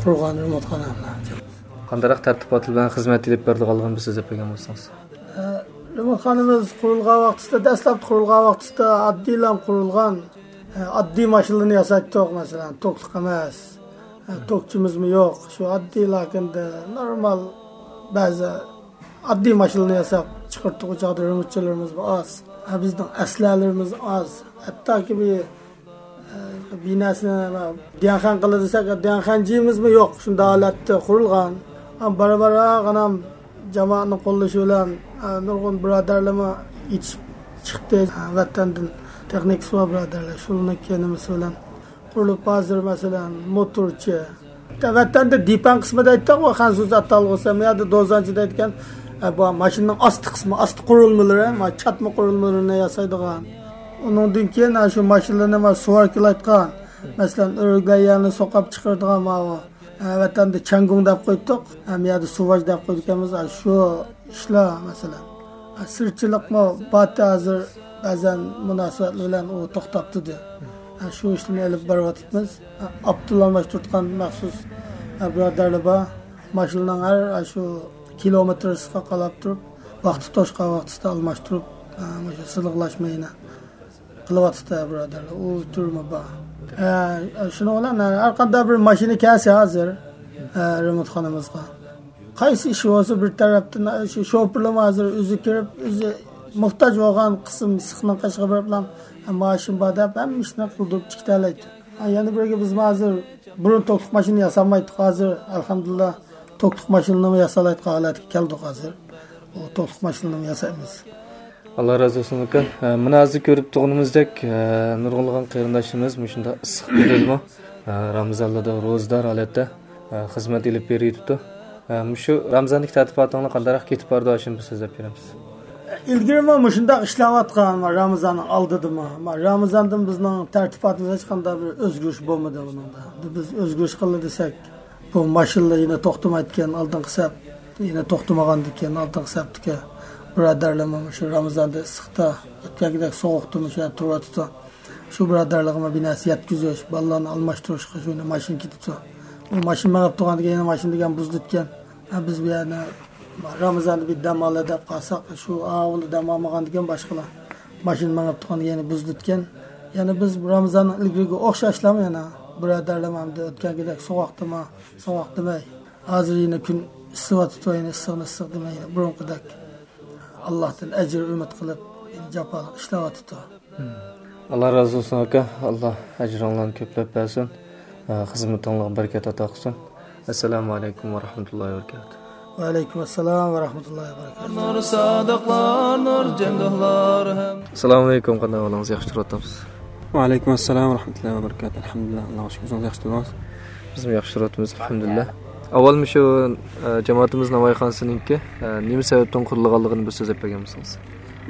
قۇرغان رېمونتخانا. قانداقراق تەرتىپات بىلەن خىزمەت ئېلىپ بېرىدىغانلىقىنى بىر سۆزلەپ بەرگەن بولسىڭىز. ئە، رېمونتخانىمىز قۇرۇلغان ۋاقتىسىدا، دەسلەپتە قۇرۇلغان ۋاقتىسىدا ئاددىيلا قۇرۇلغان، ئە، ئاددىي ماشىنىلارنى ياسايتتۇق، مەسىلەن، توكلۇق ئەمەس، ئە، توكچىمىزمۇ يوق. شۇ ئاددىيلا كەندە نورمال بەزى ئاددىي ماشىنىلارنى ياساپ چىقىرتتۇق. ئۇ چاغدا رېمونتچىلىرىمىزمۇ ئاز، ئە، بىزنىڭ ئەسلىھەلىرىمىز ئاز. ھەتتاكى بىر بىناسىنى دىيەنخەن قىلدى دېسەك، دىيەنخەنجىمىزمۇ يوق، شۇنداق ھالەتتە قۇرۇلغان. ئەمما بارا-بارا ئانام جامائەتنىڭ قوللىشى بىلەن، ئە، نۇرغۇن بۇرادەرلىرىمۇ يېتىشىپ چىقتى. ئە، ۋەتەندىن تېخنىكىسى بار بۇرادەرلەر، شۇلارنىڭ كېنىمىسى بىلەن قۇرۇلۇپ، ھازىر، مەسىلەن، موتورچى. ۋەتەندە دىپەن قىسمى دەيتتۇق، خەنزۇچە ئاتالغۇسى، بۇ يەردە دوزانچى دەيدىكەن. ئە، بۇ ماشىنىنىڭ ئاستى قىسمى، ئاستى قۇرۇلمىلىرى، ما چاتما قۇرۇلمىلىرىنى ياسايدىغان. ئۇنىڭدىن كېيىن، ھە، شۇ ماشىنىلارنى ما سۇۋاركىلايتقان، مەسىلەن، ئۆرۈكلەر يەرنى سوقاپ چىقىرىدىغان ماۋۇ، ھە، ۋەتەندە چەڭگۇڭ دەپ قويدۇق، ھەم يەردە سۇۋاچ دەپ قويدۇكەنمىز، ھە، شۇ ئىشلار، مەسىلەن. ھە، سىرچىلىقمۇ باتى ھازىر بەزەن مۇناسىۋەتلەر بىلەن ئۇ توختاپ تۇردى. ھە، شۇ ئىشلارنى ئېلىپ بېرىۋاتىمىز. ھە، ئاپتول ئالماشتۇرۇۋاتقان مەخسۇس، ھە، بۇرادەرلەر بار. ماشىنىنىڭ ھەر، ھە، شۇ كىلومېتىرىسىغا قاراپ تۇرۇپ، ۋاقتى توشقان ۋاقتىسىدا ئالماشتۇرۇپ، ئە، مۇشۇ سىلىقلاشماينى قىلىۋاتىدۇ بۇرادەرلەر. ئۇ تۈرمە بار. ئە، شۇنىڭ بىلەن، ئە، ھەر قانداق بىر ماشىنا كەلسە ھازىر، ئە، رېمونتخانىمىزغا، قايسى ئىش بولسا بىر تەرەپتىن، ئە، شۇ شوپۇرلارمۇ ھازىر ئۆزى كىرىپ، ئۆزى موھتاج بولغان قىسىم سىخنىڭ قېشىغا بېرىپلا، ئە، ماشىنا بار دەپ ھەممە ئىشنى قىلدۇرۇپ چىقىتەلەيدۇ. ئە، يەنە بىرگە بىزمۇ ھازىر بۇرۇن توكلۇق ماشىنا ياسالمايتتۇق، ھازىر ئەلھەمدۇلىللا توكلۇق ماشىنىنىمۇ ياسالايدىغان ھالەتكە كەلدۇق ھازىر. ئۇ توكلۇق ماشىنىنىمۇ ياسايمىز. ئاللا رازى بولسۇن ئاكا. ئە، مانا ھازىر كۆرۈپ تۇرغىنىمىزدەك، ئە، نۇرغۇنلىغان قېرىنداشلىرىمىز مۇشۇنداق ئىسسىق كۈندىمۇ، ئە، رامىزانلاردا روزىدار ھالەتتە، ئە، خىزمەت ئېلىپ بېرىۋېتىپتۇ. ئە، مۇشۇ رامىزاندىكى تەرتىپاتىڭلار قانداقراق كېتىپ بارىدۇ، ئاشۇنى بىر سۆزلەپ بېرەمسىز؟ ئىلگىرىمۇ مۇشۇنداق ئىشلەۋاتقان، رامىزاننىڭ ئالدىدىمۇ. رامىزاندىن بىزنىڭ تەرتىپاتىمىزدا ھېچقانداق بىر ئۆزگىرىش بولمىدى بۇنىڭدا. بىز ئۆزگىرىش قىلدى دېسەك، بۇ ماشىنىلار يەنە توختىمايدىكەن، ئالدىنقى سەپ يەنە توختىمىغاندىكىن، ئالدىنقى سەپتىكى بۇرادەرلىرىم شۇ رامىزاندا ئىسسىقتا، ئۆتكەنكىدەك سوغۇقتا مۇشۇ يەردە تۇرۇۋاتىدۇ. شۇ بۇرادەرلىرىمگە بىر نەرسە يەتكۈزۈش، بالىلارنى ئالماشتۇرۇشقا شۇ ماشىنا كېتىدۇ. ئۇ ماشىنا مېڭىپ تۇرغاندىكىن يەنە ماشىنا دېگەن بۇزۇلىدىكەن. ھە، بىز بۇ يەرنى رامىزاندا بىر دەم ئالە دەپ قالساق، شۇ ئاۋۇندا دەم ئالمىغاندىكىن باشقىلار ماشىنا مېڭىپ تۇرغاندىكىن يەنە بۇزۇلىدىكەن. يەنە بىز رامىزاننىڭ ئىلگىرىگە ئوخشاشلام يەنە بۇرادەرلىرىم ئەمدى ئۆتكەنكىدەك سوغۇق دېمە، سوغۇق دېمەي. ھازىر يەنە كۈن ئىسسىۋاتىدۇ، يەنە ئىسسىقنى ئىسسىق دېمەي، يەنە بۇرۇنقىدەك ئاللاھتىن ئەجىر ئۈمىد قىلىپ، يەنە جاپالىق ئىشلەۋاتىدۇ. ئاللا رازى بولسۇن ئاكا، ئاللا ئەجرىڭلارنى كۆپلەپ بەرسۇن، خىزمىتىڭلارغا بەرىكەت ئاتا قىلسۇن. ئەسسالامۇ ئەلەيكۇم ۋە رەھمەتۇللاھى ۋە بەرىكاتۇھ. ۋەئەلەيكۇم ئەسسالام ۋە رەھمەتۇللاھى ۋە بەرىكاتۇھ. نۇر سادىقلار، نۇر جەندۇھلار ھەم. ئەسسالامۇ ئەلەيكۇم، قانداق ئەھۋالىڭىز؟ ياخشى تۇرۇۋاتامسىز؟ ۋەئەلەيكۇم ئەسسالام ۋە رەھمەتۇللاھى ۋە بەرىكاتۇھ. ئەلھەمدۇلىللا، ئاللاغا شۈكۈر، ئۆزىڭىز ياخشى تۇردىڭىز؟ بىزمۇ ياخشى تۇرۇۋاتىمىز، ئەلھەمدۇلىللا. ئاۋۋال مۇشۇ، ئە، جامائىتىمىز ناۋايخانىسىنىڭكى، ئە، نېمە سەۋەبتىن قۇرۇلغانلىقىنى بىر سۆزلەپ بەرگەن بولسىڭىز.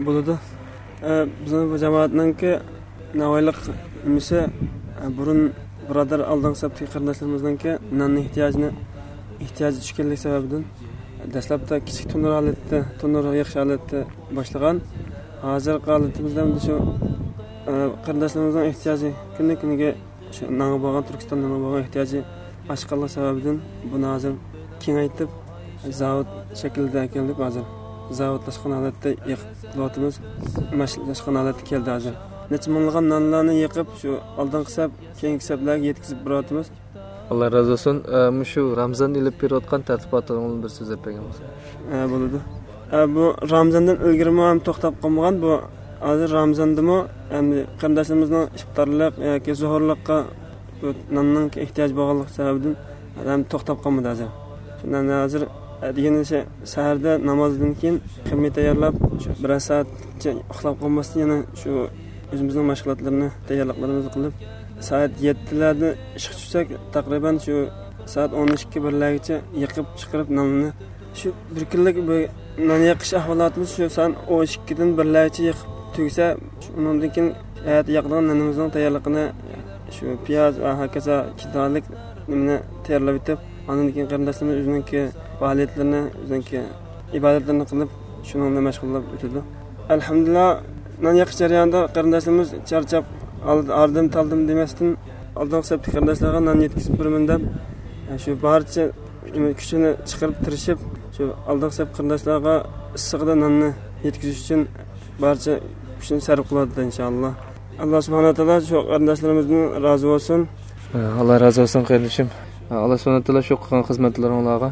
بولىدۇ. ئە، بىزنىڭ بۇ جامائەتنىڭكى ناۋايلىق نېمىسى، ئە، بۇرۇن بۇرادەر ئالدىنقى سەپتىكى قېرىنداشلىرىمىزنىڭكى ناننىڭ ئېھتىياجىنى، ئېھتىياجى چۈشكەنلىك سەۋەبىدىن دەسلەپتە كىچىك تونۇر ھالەتتە، تونۇر يېقىش ھالەتتە باشلىغان. ھازىرقى ھالىتىمىزدە ئەمدى شۇ، ئە، قېرىنداشلىرىمىزنىڭ ئېھتىياجى كۈندىن كۈنگە شۇ نانغا بولغان، تۈركىستان نانغا بولغان ئېھتىياجى ئاشقانلىق سەۋەبىدىن بۇنى ھازىر كېڭەيتىپ، زاۋۇت شەكلىدە ئەكەلدۇق ھازىر. زاۋۇتلاشقان ھالەتتە يېقىپ قىلىۋاتىمىز. ماشىنىلاشقان ھالەتتە كەلدى ھازىر. نەچچە مىڭلىغان نانلارنى يېقىپ، شۇ ئالدىنقى سەپ، كېيىنكى سەپلەرگە يەتكۈزۈپ بېرىۋاتىمىز. ئاللا رازى بولسۇن. ئە، مۇشۇ رامزاندا ئېلىپ بېرىۋاتقان تەرتىپاتىڭىزنى بىر سۆزلەپ بەرگەن بولسىڭىز. ئە، بولىدۇ. ئە، بۇ رامزاندىن ئىلگىرىمۇ ھەم توختاپ قالمىغان، بۇ ھازىر رامزاندىمۇ ھەم قېرىنداشلىرىمىزنىڭ ئىپتارلىق ياكى سوھۇرلۇققا بۇ ناننىڭ ئېھتىياجى بولغانلىق سەۋەبىدىن ھەم توختاپ قالمىدى ھازىر. شۇنداق ھازىر، ئە، دېگەن سەھەردە نامازدىن كېيىن خېمىر تەييارلاپ، شۇ بىرەر سائەتچە ئۇخلاپ قالماستىن يەنە شۇ ئۆزىمىزنىڭ مەشغۇلاتلىرىنى، تەييارلىقلىرىمىزنى قىلىپ، سائەت يەتتىلەردە ئىشقا چۈشسەك، تەقرىبەن شۇ سائەت ئون ئىككى، بىرلەرگىچە يېقىپ چىقىرىپ ناننى. شۇ بىر كۈنلۈك بۇ نان يېقىش ئەھۋالاتىمىز شۇ سائەت ئون ئىككىدىن بىرلەرگىچە يېقىپ تۈگىسە، ئۇنىڭدىن كېيىن ئەتە ياقىدىغان نېنىمىزنىڭ تەييارلىقىنى شۇ پىياز ۋە ھاكازا كىدالىك نېمىنى تەييارلاپ ئېتىپ، ئاندىن كېيىن قېرىنداشلىرىمىز ئۆزىنىڭكى پائالىيەتلىرىنى، ئۆزىنىڭكى ئىبادەتلىرىنى قىلىپ، شۇنىڭ بىلەن مەشغۇللاپ ئۆتىدۇ. ئەلھەمدۇلىللا، نان يېقىش جەريانىدا قېرىنداشلىرىمىز چارچاپ، ئال-، ئاردىم-تالدىم دېمەستىن، ئالدىنقى سەپتىكى قېرىنداشلارغا نان يەتكۈزۈپ بېرىمەن دەپ، شۇ بارچە كۈچىنى چىقىرىپ تىرىشىپ، شۇ ئالدىنقى سەپ قېرىنداشلارغا ئىسسىقىدا ناننى يەتكۈزۈش ئۈچۈن بارچە كۈچىنى سەرپ قىلىۋاتىدۇ، ئىنشائاللا. ئاللا سۇبھانەھۇ ۋە تائالا شۇ قېرىنداشلىرىمىزدىن رازى بولسۇن. ئاللا رازى بولسۇن، قېرىندىشىم. ئاللا سۇبھانەھۇ ۋە تائالا شۇ قىلغان خىزمەتلىرىڭلارغا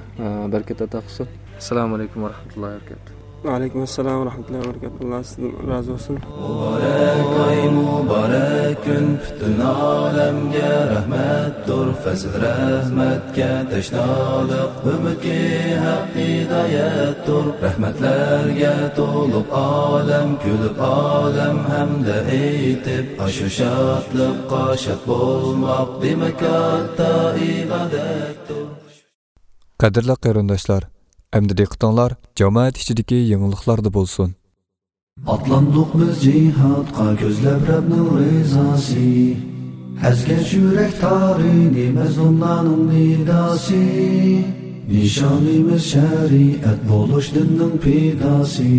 بەرىكەت ئاتا قىلسۇن. ئەسسالامۇ ئەلەيكۇم ۋە رەھمەتۇللاھى ۋە بەرىكاتۇھ. ۋەئەلەيكۇم ئەسسالام ۋە رەھمەتۇللاھى ۋە بەرىكاتۇھ. ئاللا سىزدىن رازى بولسۇن. مۇبارەك ئاي، مۇبارەك كۈن، پۈتۈن ئالەمگە رەھمەتتۇر. پەزىل رەھمەتكە تەشنالىق، ئۈمىدكى ھەق ھىدايەتتۇر. رەھمەتلەرگە تولۇپ ئالەم، كۈلۈپ ئالەم ھەمدە ئېيتىپ، ئاشۇ شادلىققا شاد بولماق، دېمەك، كاتتا ئىبادەتتۇر. قەدىرلىك قېرىنداشلار، ئەمدى دىققىتىڭلار جامائەت ئىچىدىكى يېڭىلىقلاردا بولسۇن. ئاتلاندۇق بىز جىھادقا كۆزلەپ رەبنىڭ رىزاسى. ئەزگەن يۈرەك تارىنى مەزلۇملارنىڭ نىداسى. نىشانىمىز شەرىئەت بولۇش دىننىڭ پىداسى.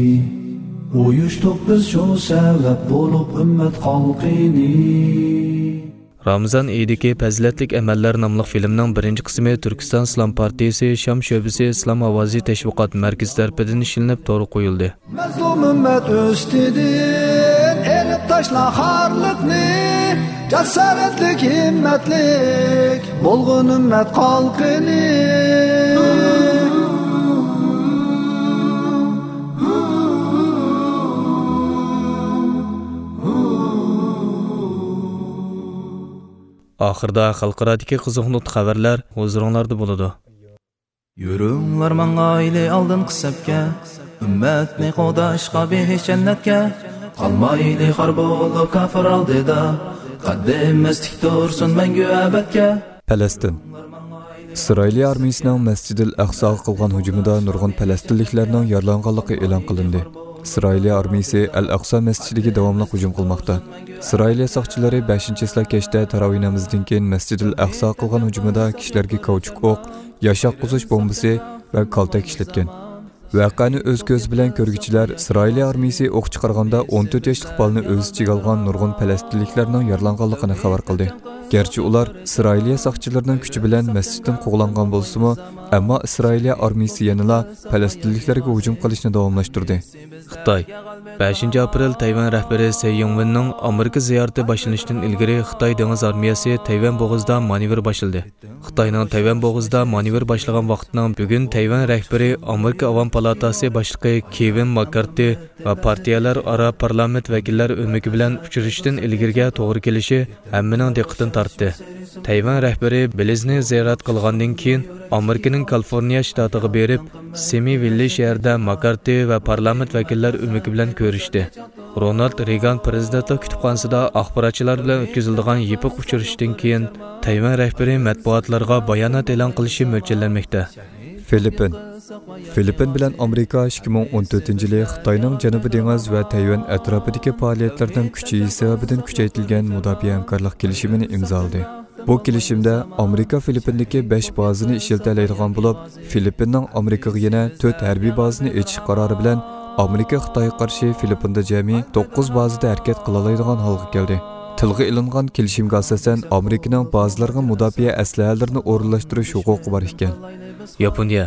ئۇيۇشتۇق بىز شۇ سەۋەب بولۇپ ئۈممەت خەلقىنى. رامىزان ئېيىدىكى پەزىلەتلىك ئەمەللەر ناملىق فىلىمنىڭ بىرىنچى قىسمى تۈركىستان ئىسلام پارتىيىسى شام شۆبىسى ئىسلام ئاۋازى تەشۋىقات مەركىزى تەرىپىدىن ئىشلىنىپ تورغا قويۇلدى. مەزلۇم ئۈممەت ئۈستىدىن ئېلىپ تاشلا خارلىقنى، جاسارەتلىك، ھىممەتلىك بولغىن ئۈممەت خەلقىنى. ئاخىرىدا خەلقئارادىكى قىزىق نۇقتا خەۋەرلەر ھۇزۇرۇڭلاردا بولىدۇ. يۈرۈڭلار ماڭايلى ئالدىنقى سەپكە، ئۈممەتنى قوغداشقا بېھىش جەننەتكە. قالمايلى خار بولۇپ كاپىر ئالدىدا، قەددىمىز تىك تۇرسۇن مەڭگۈ ئەبەدكە. پەلەستىن. ئىسرائىلىيە ئارمىيىسىنىڭ مەسجىدىل ئەقساغا قىلغان ھۇجۇمىدا نۇرغۇن پەلەستىنلىكلەرنىڭ يارىلانغانلىقى ئېلان قىلىندى. ئىسرائىلىيە ئارمىيىسى ئەل ئەقسا مەسچىتىگە داۋاملىق ھۇجۇم قىلماقتا. ئىسرائىلىيە ساقچىلىرى بەشىنچى چىسلا كەچتە تاراۋىھ نامىزىدىن كېيىن مەسجىدىل ئەقسا قىلغان ھۇجۇمىدا كىشىلەرگە كاۋچۇك ئوق، ياشاتقۇزۇش بومبىسى ۋە كالتەك ئىشلەتكەن. ۋەقەنى ئۆز كۆزى بىلەن كۆرگۈچىلەر ئىسرائىلىيە ئارمىيىسى ئوق چىقارغاندا ئون تۆت ياشلىق بالىنى ئۆز ئىچىگە ئالغان نۇرغۇن پەلەستىنلىكلەرنىڭ يارىلانغانلىقىنى خەۋەر قىلدى. گەرچە ئۇلار ئىسرائىلىيە ساقچىلىرىنىڭ كۈچى بىلەن مەسچىتتىن قوغلانغان بولسىمۇ، ئەمما ئىسرائىلىيە ئارمىيىسى يەنىلا پەلەستىنلىكلەرگە ھۇجۇم قىلىشنى داۋاملاشتۇردى. خىتاي. بەشىنچى ئاپرېل تەيۋەن رەھبىرى سەي يىڭۋېننىڭ ئامېرىكا زىيارىتى باشلىنىشتىن ئىلگىرى خىتاي دېڭىز ئارمىيەسى تەيۋەن بوغۇزىدا مانېۋىر باشلىدى. خىتاينىڭ تەيۋەن بوغۇزىدا مانېۋىر باشلىغان ۋاقتىنىڭ بۈگۈن تەيۋەن رەھبىرى ئامېرىكا ئاۋام پالاتاسى باشلىقى كېۋىن ماككارتى ۋە پارتىيەلەر ئارا پارلامېنت ۋەكىللەر ئۆمىكى بىلەن ئۇچرىشىشتىن ئىلگىرىگە توغرا كېلىشى ھەممىنىڭ دىققىتىنى تارتتى. تەيۋەن رەھبىرى بېلىزنى زىيارەت قىلغاندىن كېيىن، ئامېرىكىنىڭ كالىفورنىيە شتاتىغا بېرىپ، سېمى ۋىللى شەھىرىدە ماككارتى ۋە پارلامېنت ۋەكىللەر ئۆمىكى بىلەن كۆرۈشتى. رونالد رېيگان پىرېزىدېنتلىق كۇتۇپخانىسىدا ئاخباراتچىلار بىلەن ئۆتكۈزۈلىدىغان يېپىق ئۇچرىشىشتىن كېيىن، تەيۋەن رەھبىرى مەتبۇئاتلارغا بايانات ئېلان قىلىشى مۆلچەرلەنمەكتە. فىلىپپىن. فىلىپپىن بىلەن ئامېرىكا ئىككى مىڭ ئون تۆتىنچى يىلى خىتاينىڭ جەنۇبىي دېڭىز ۋە تەيۋەن ئەتراپىدىكى پائالىيەتلىرىنىڭ كۈچىيىشى سەۋەبىدىن كۈچەيتىلگەن مۇداپىئە ھەمكارلىق كېلىشىمىنى ئىمزالىدى. بۇ كېلىشىمدە ئامېرىكا فىلىپپىندىكى بەش بازىنى ئىشلىتەلەيدىغان بولۇپ، فىلىپپىننىڭ ئامېرىكىغا يەنە تۆت ھەربىي بازىنى ئېچىش قارارى بىلەن ئامېرىكا خىتايغا قارشى فىلىپپىندا جەمئىي توققۇز بازىدا ھەرىكەت قىلالايدىغان ھالغا كەلدى. تىلغا ئېلىنغان كېلىشىمگە ئاساسەن، ئامېرىكىنىڭ بازىلارغا مۇداپىئە ئەسلىھەلىرىنى ئورۇنلاشتۇرۇش ھوقۇقى بار ئىكەن. ياپونىيە.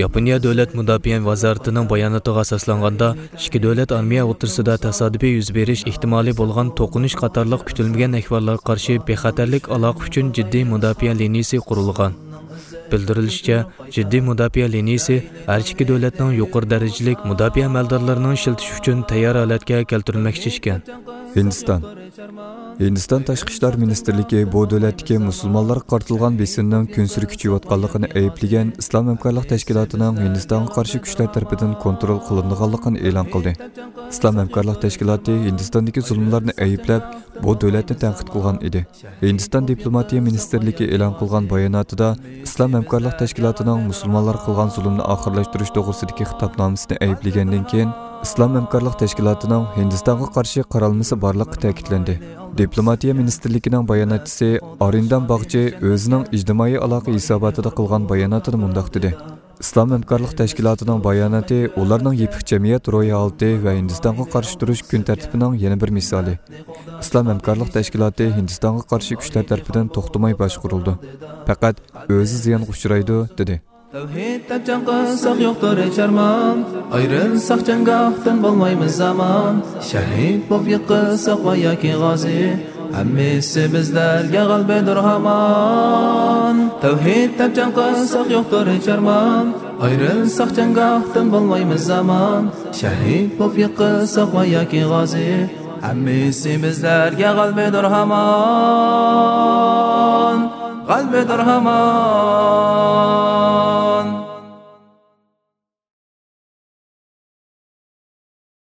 ياپونىيە دۆلەت مۇداپىئە ۋازارىتىنىڭ باياناتىغا ئاساسلانغاندا، ئىككى دۆلەت ئارمىيە ئوتتۇرىسىدا تاسادىپىي يۈز بېرىش ئېھتىمالى بولغان توقۇنۇش قاتارلىق كۈتۈلمىگەن ئەھۋاللارغا قارشى بىخەتەرلىك ئالاقە ئۈچۈن جىددىي مۇداپىئە لىنىيىسى قۇرۇلغان. بىلدۈرۈلۈشىچە، جىددىي مۇداپىئە لىنىيىسى ھەر ئىككى دۆلەتنىڭ يۇقىرى دەرىجىلىك مۇداپىئە ئەمەلدارلىرىنىڭ ئىشلىتىش ئۈچۈن تەييار ھالەتكە كەلتۈرۈلمەكچى ئىكەن. ھىندىستان. ھىندىستان تاشقى ئىشلار مىنىستىرلىكى بۇ دۆلەتتىكى مۇسۇلمانلارغا قارىتىلغان بېسىمنىڭ كۈنسېرى كۈچىيىۋاتقانلىقىنى ئەيىبلىگەن ئىسلام ھەمكارلىق تەشكىلاتىنىڭ ھىندىستانغا قارشى كۈچلەر تەرىپىدىن كونترول قىلىنىدىغانلىقىنى ئېلان قىلدى. ئىسلام ھەمكارلىق تەشكىلاتى ھىندىستاندىكى زۇلۇملارنى ئەيىبلەپ، بۇ دۆلەتنى تەنقىد قىلغان ئىدى. ھىندىستان دىپلوماتىيە مىنىستىرلىكى ئېلان قىلغان باياناتىدا، ئىسلام ھەمكارلىق تەشكىلاتىنىڭ مۇسۇلمانلارغا قىلغان زۇلۇمنى ئاخىرلاشتۇرۇش توغرىسىدىكى خىتابنامىسىنى ئەيىبلىگەندىن كېيىن، ئىسلام ھەمكارلىق تەشكىلاتىنىڭ ھىندىستانغا قارشى قارالمىسى بارلىقى تەكىتلەندى. دىپلوماتىيە مىنىستىرلىكىنىڭ باياناتچىسى ئارىندام باغچى ئۆزىنىڭ ئىجتىمائىي ئالاقە ھېساباتىدا قىلغان باياناتىدا مۇنداق دېدى: ئىسلام ھەمكارلىق تەشكىلاتىنىڭ باياناتى ئۇلارنىڭ يېپىق جەمئىيەت روھىي ھالىتى ۋە ھىندىستانغا قارشى تۇرۇش كۈن تەرتىپىنىڭ يەنە بىر مىسالى. ئىسلام ھەمكارلىق تەشكىلاتى ھىندىستانغا قارشى كۈچلەر تەرىپىدىن توختىماي باشقۇرۇلىدۇ. پەقەت ئۆزى زىيانغا ئۇچرايدۇ، دېدى. تەۋھىد دەپ جەڭ قىلساق يوقتۇر ھېچ ئارمان، ئايرىلساق جەڭگاھتىن بولمايمىز ئامان، شەھىد بولۇپ يىقىلساق ۋە ياكى غازى، ھەممىسى بىزلەرگە غەلىبىدۇر ھامان. تەۋھىد دەپ جەڭ قىلساق يوقتۇر ھېچ ئارمان، ئايرىلساق جەڭگاھتىن بولمايمىز ئامان، شەھىد بولۇپ يىقىلساق ۋە ياكى غازى، ھەممىسى بىزلەرگە غەلىبىدۇر ھامان، غەلىبىدۇر ھامان.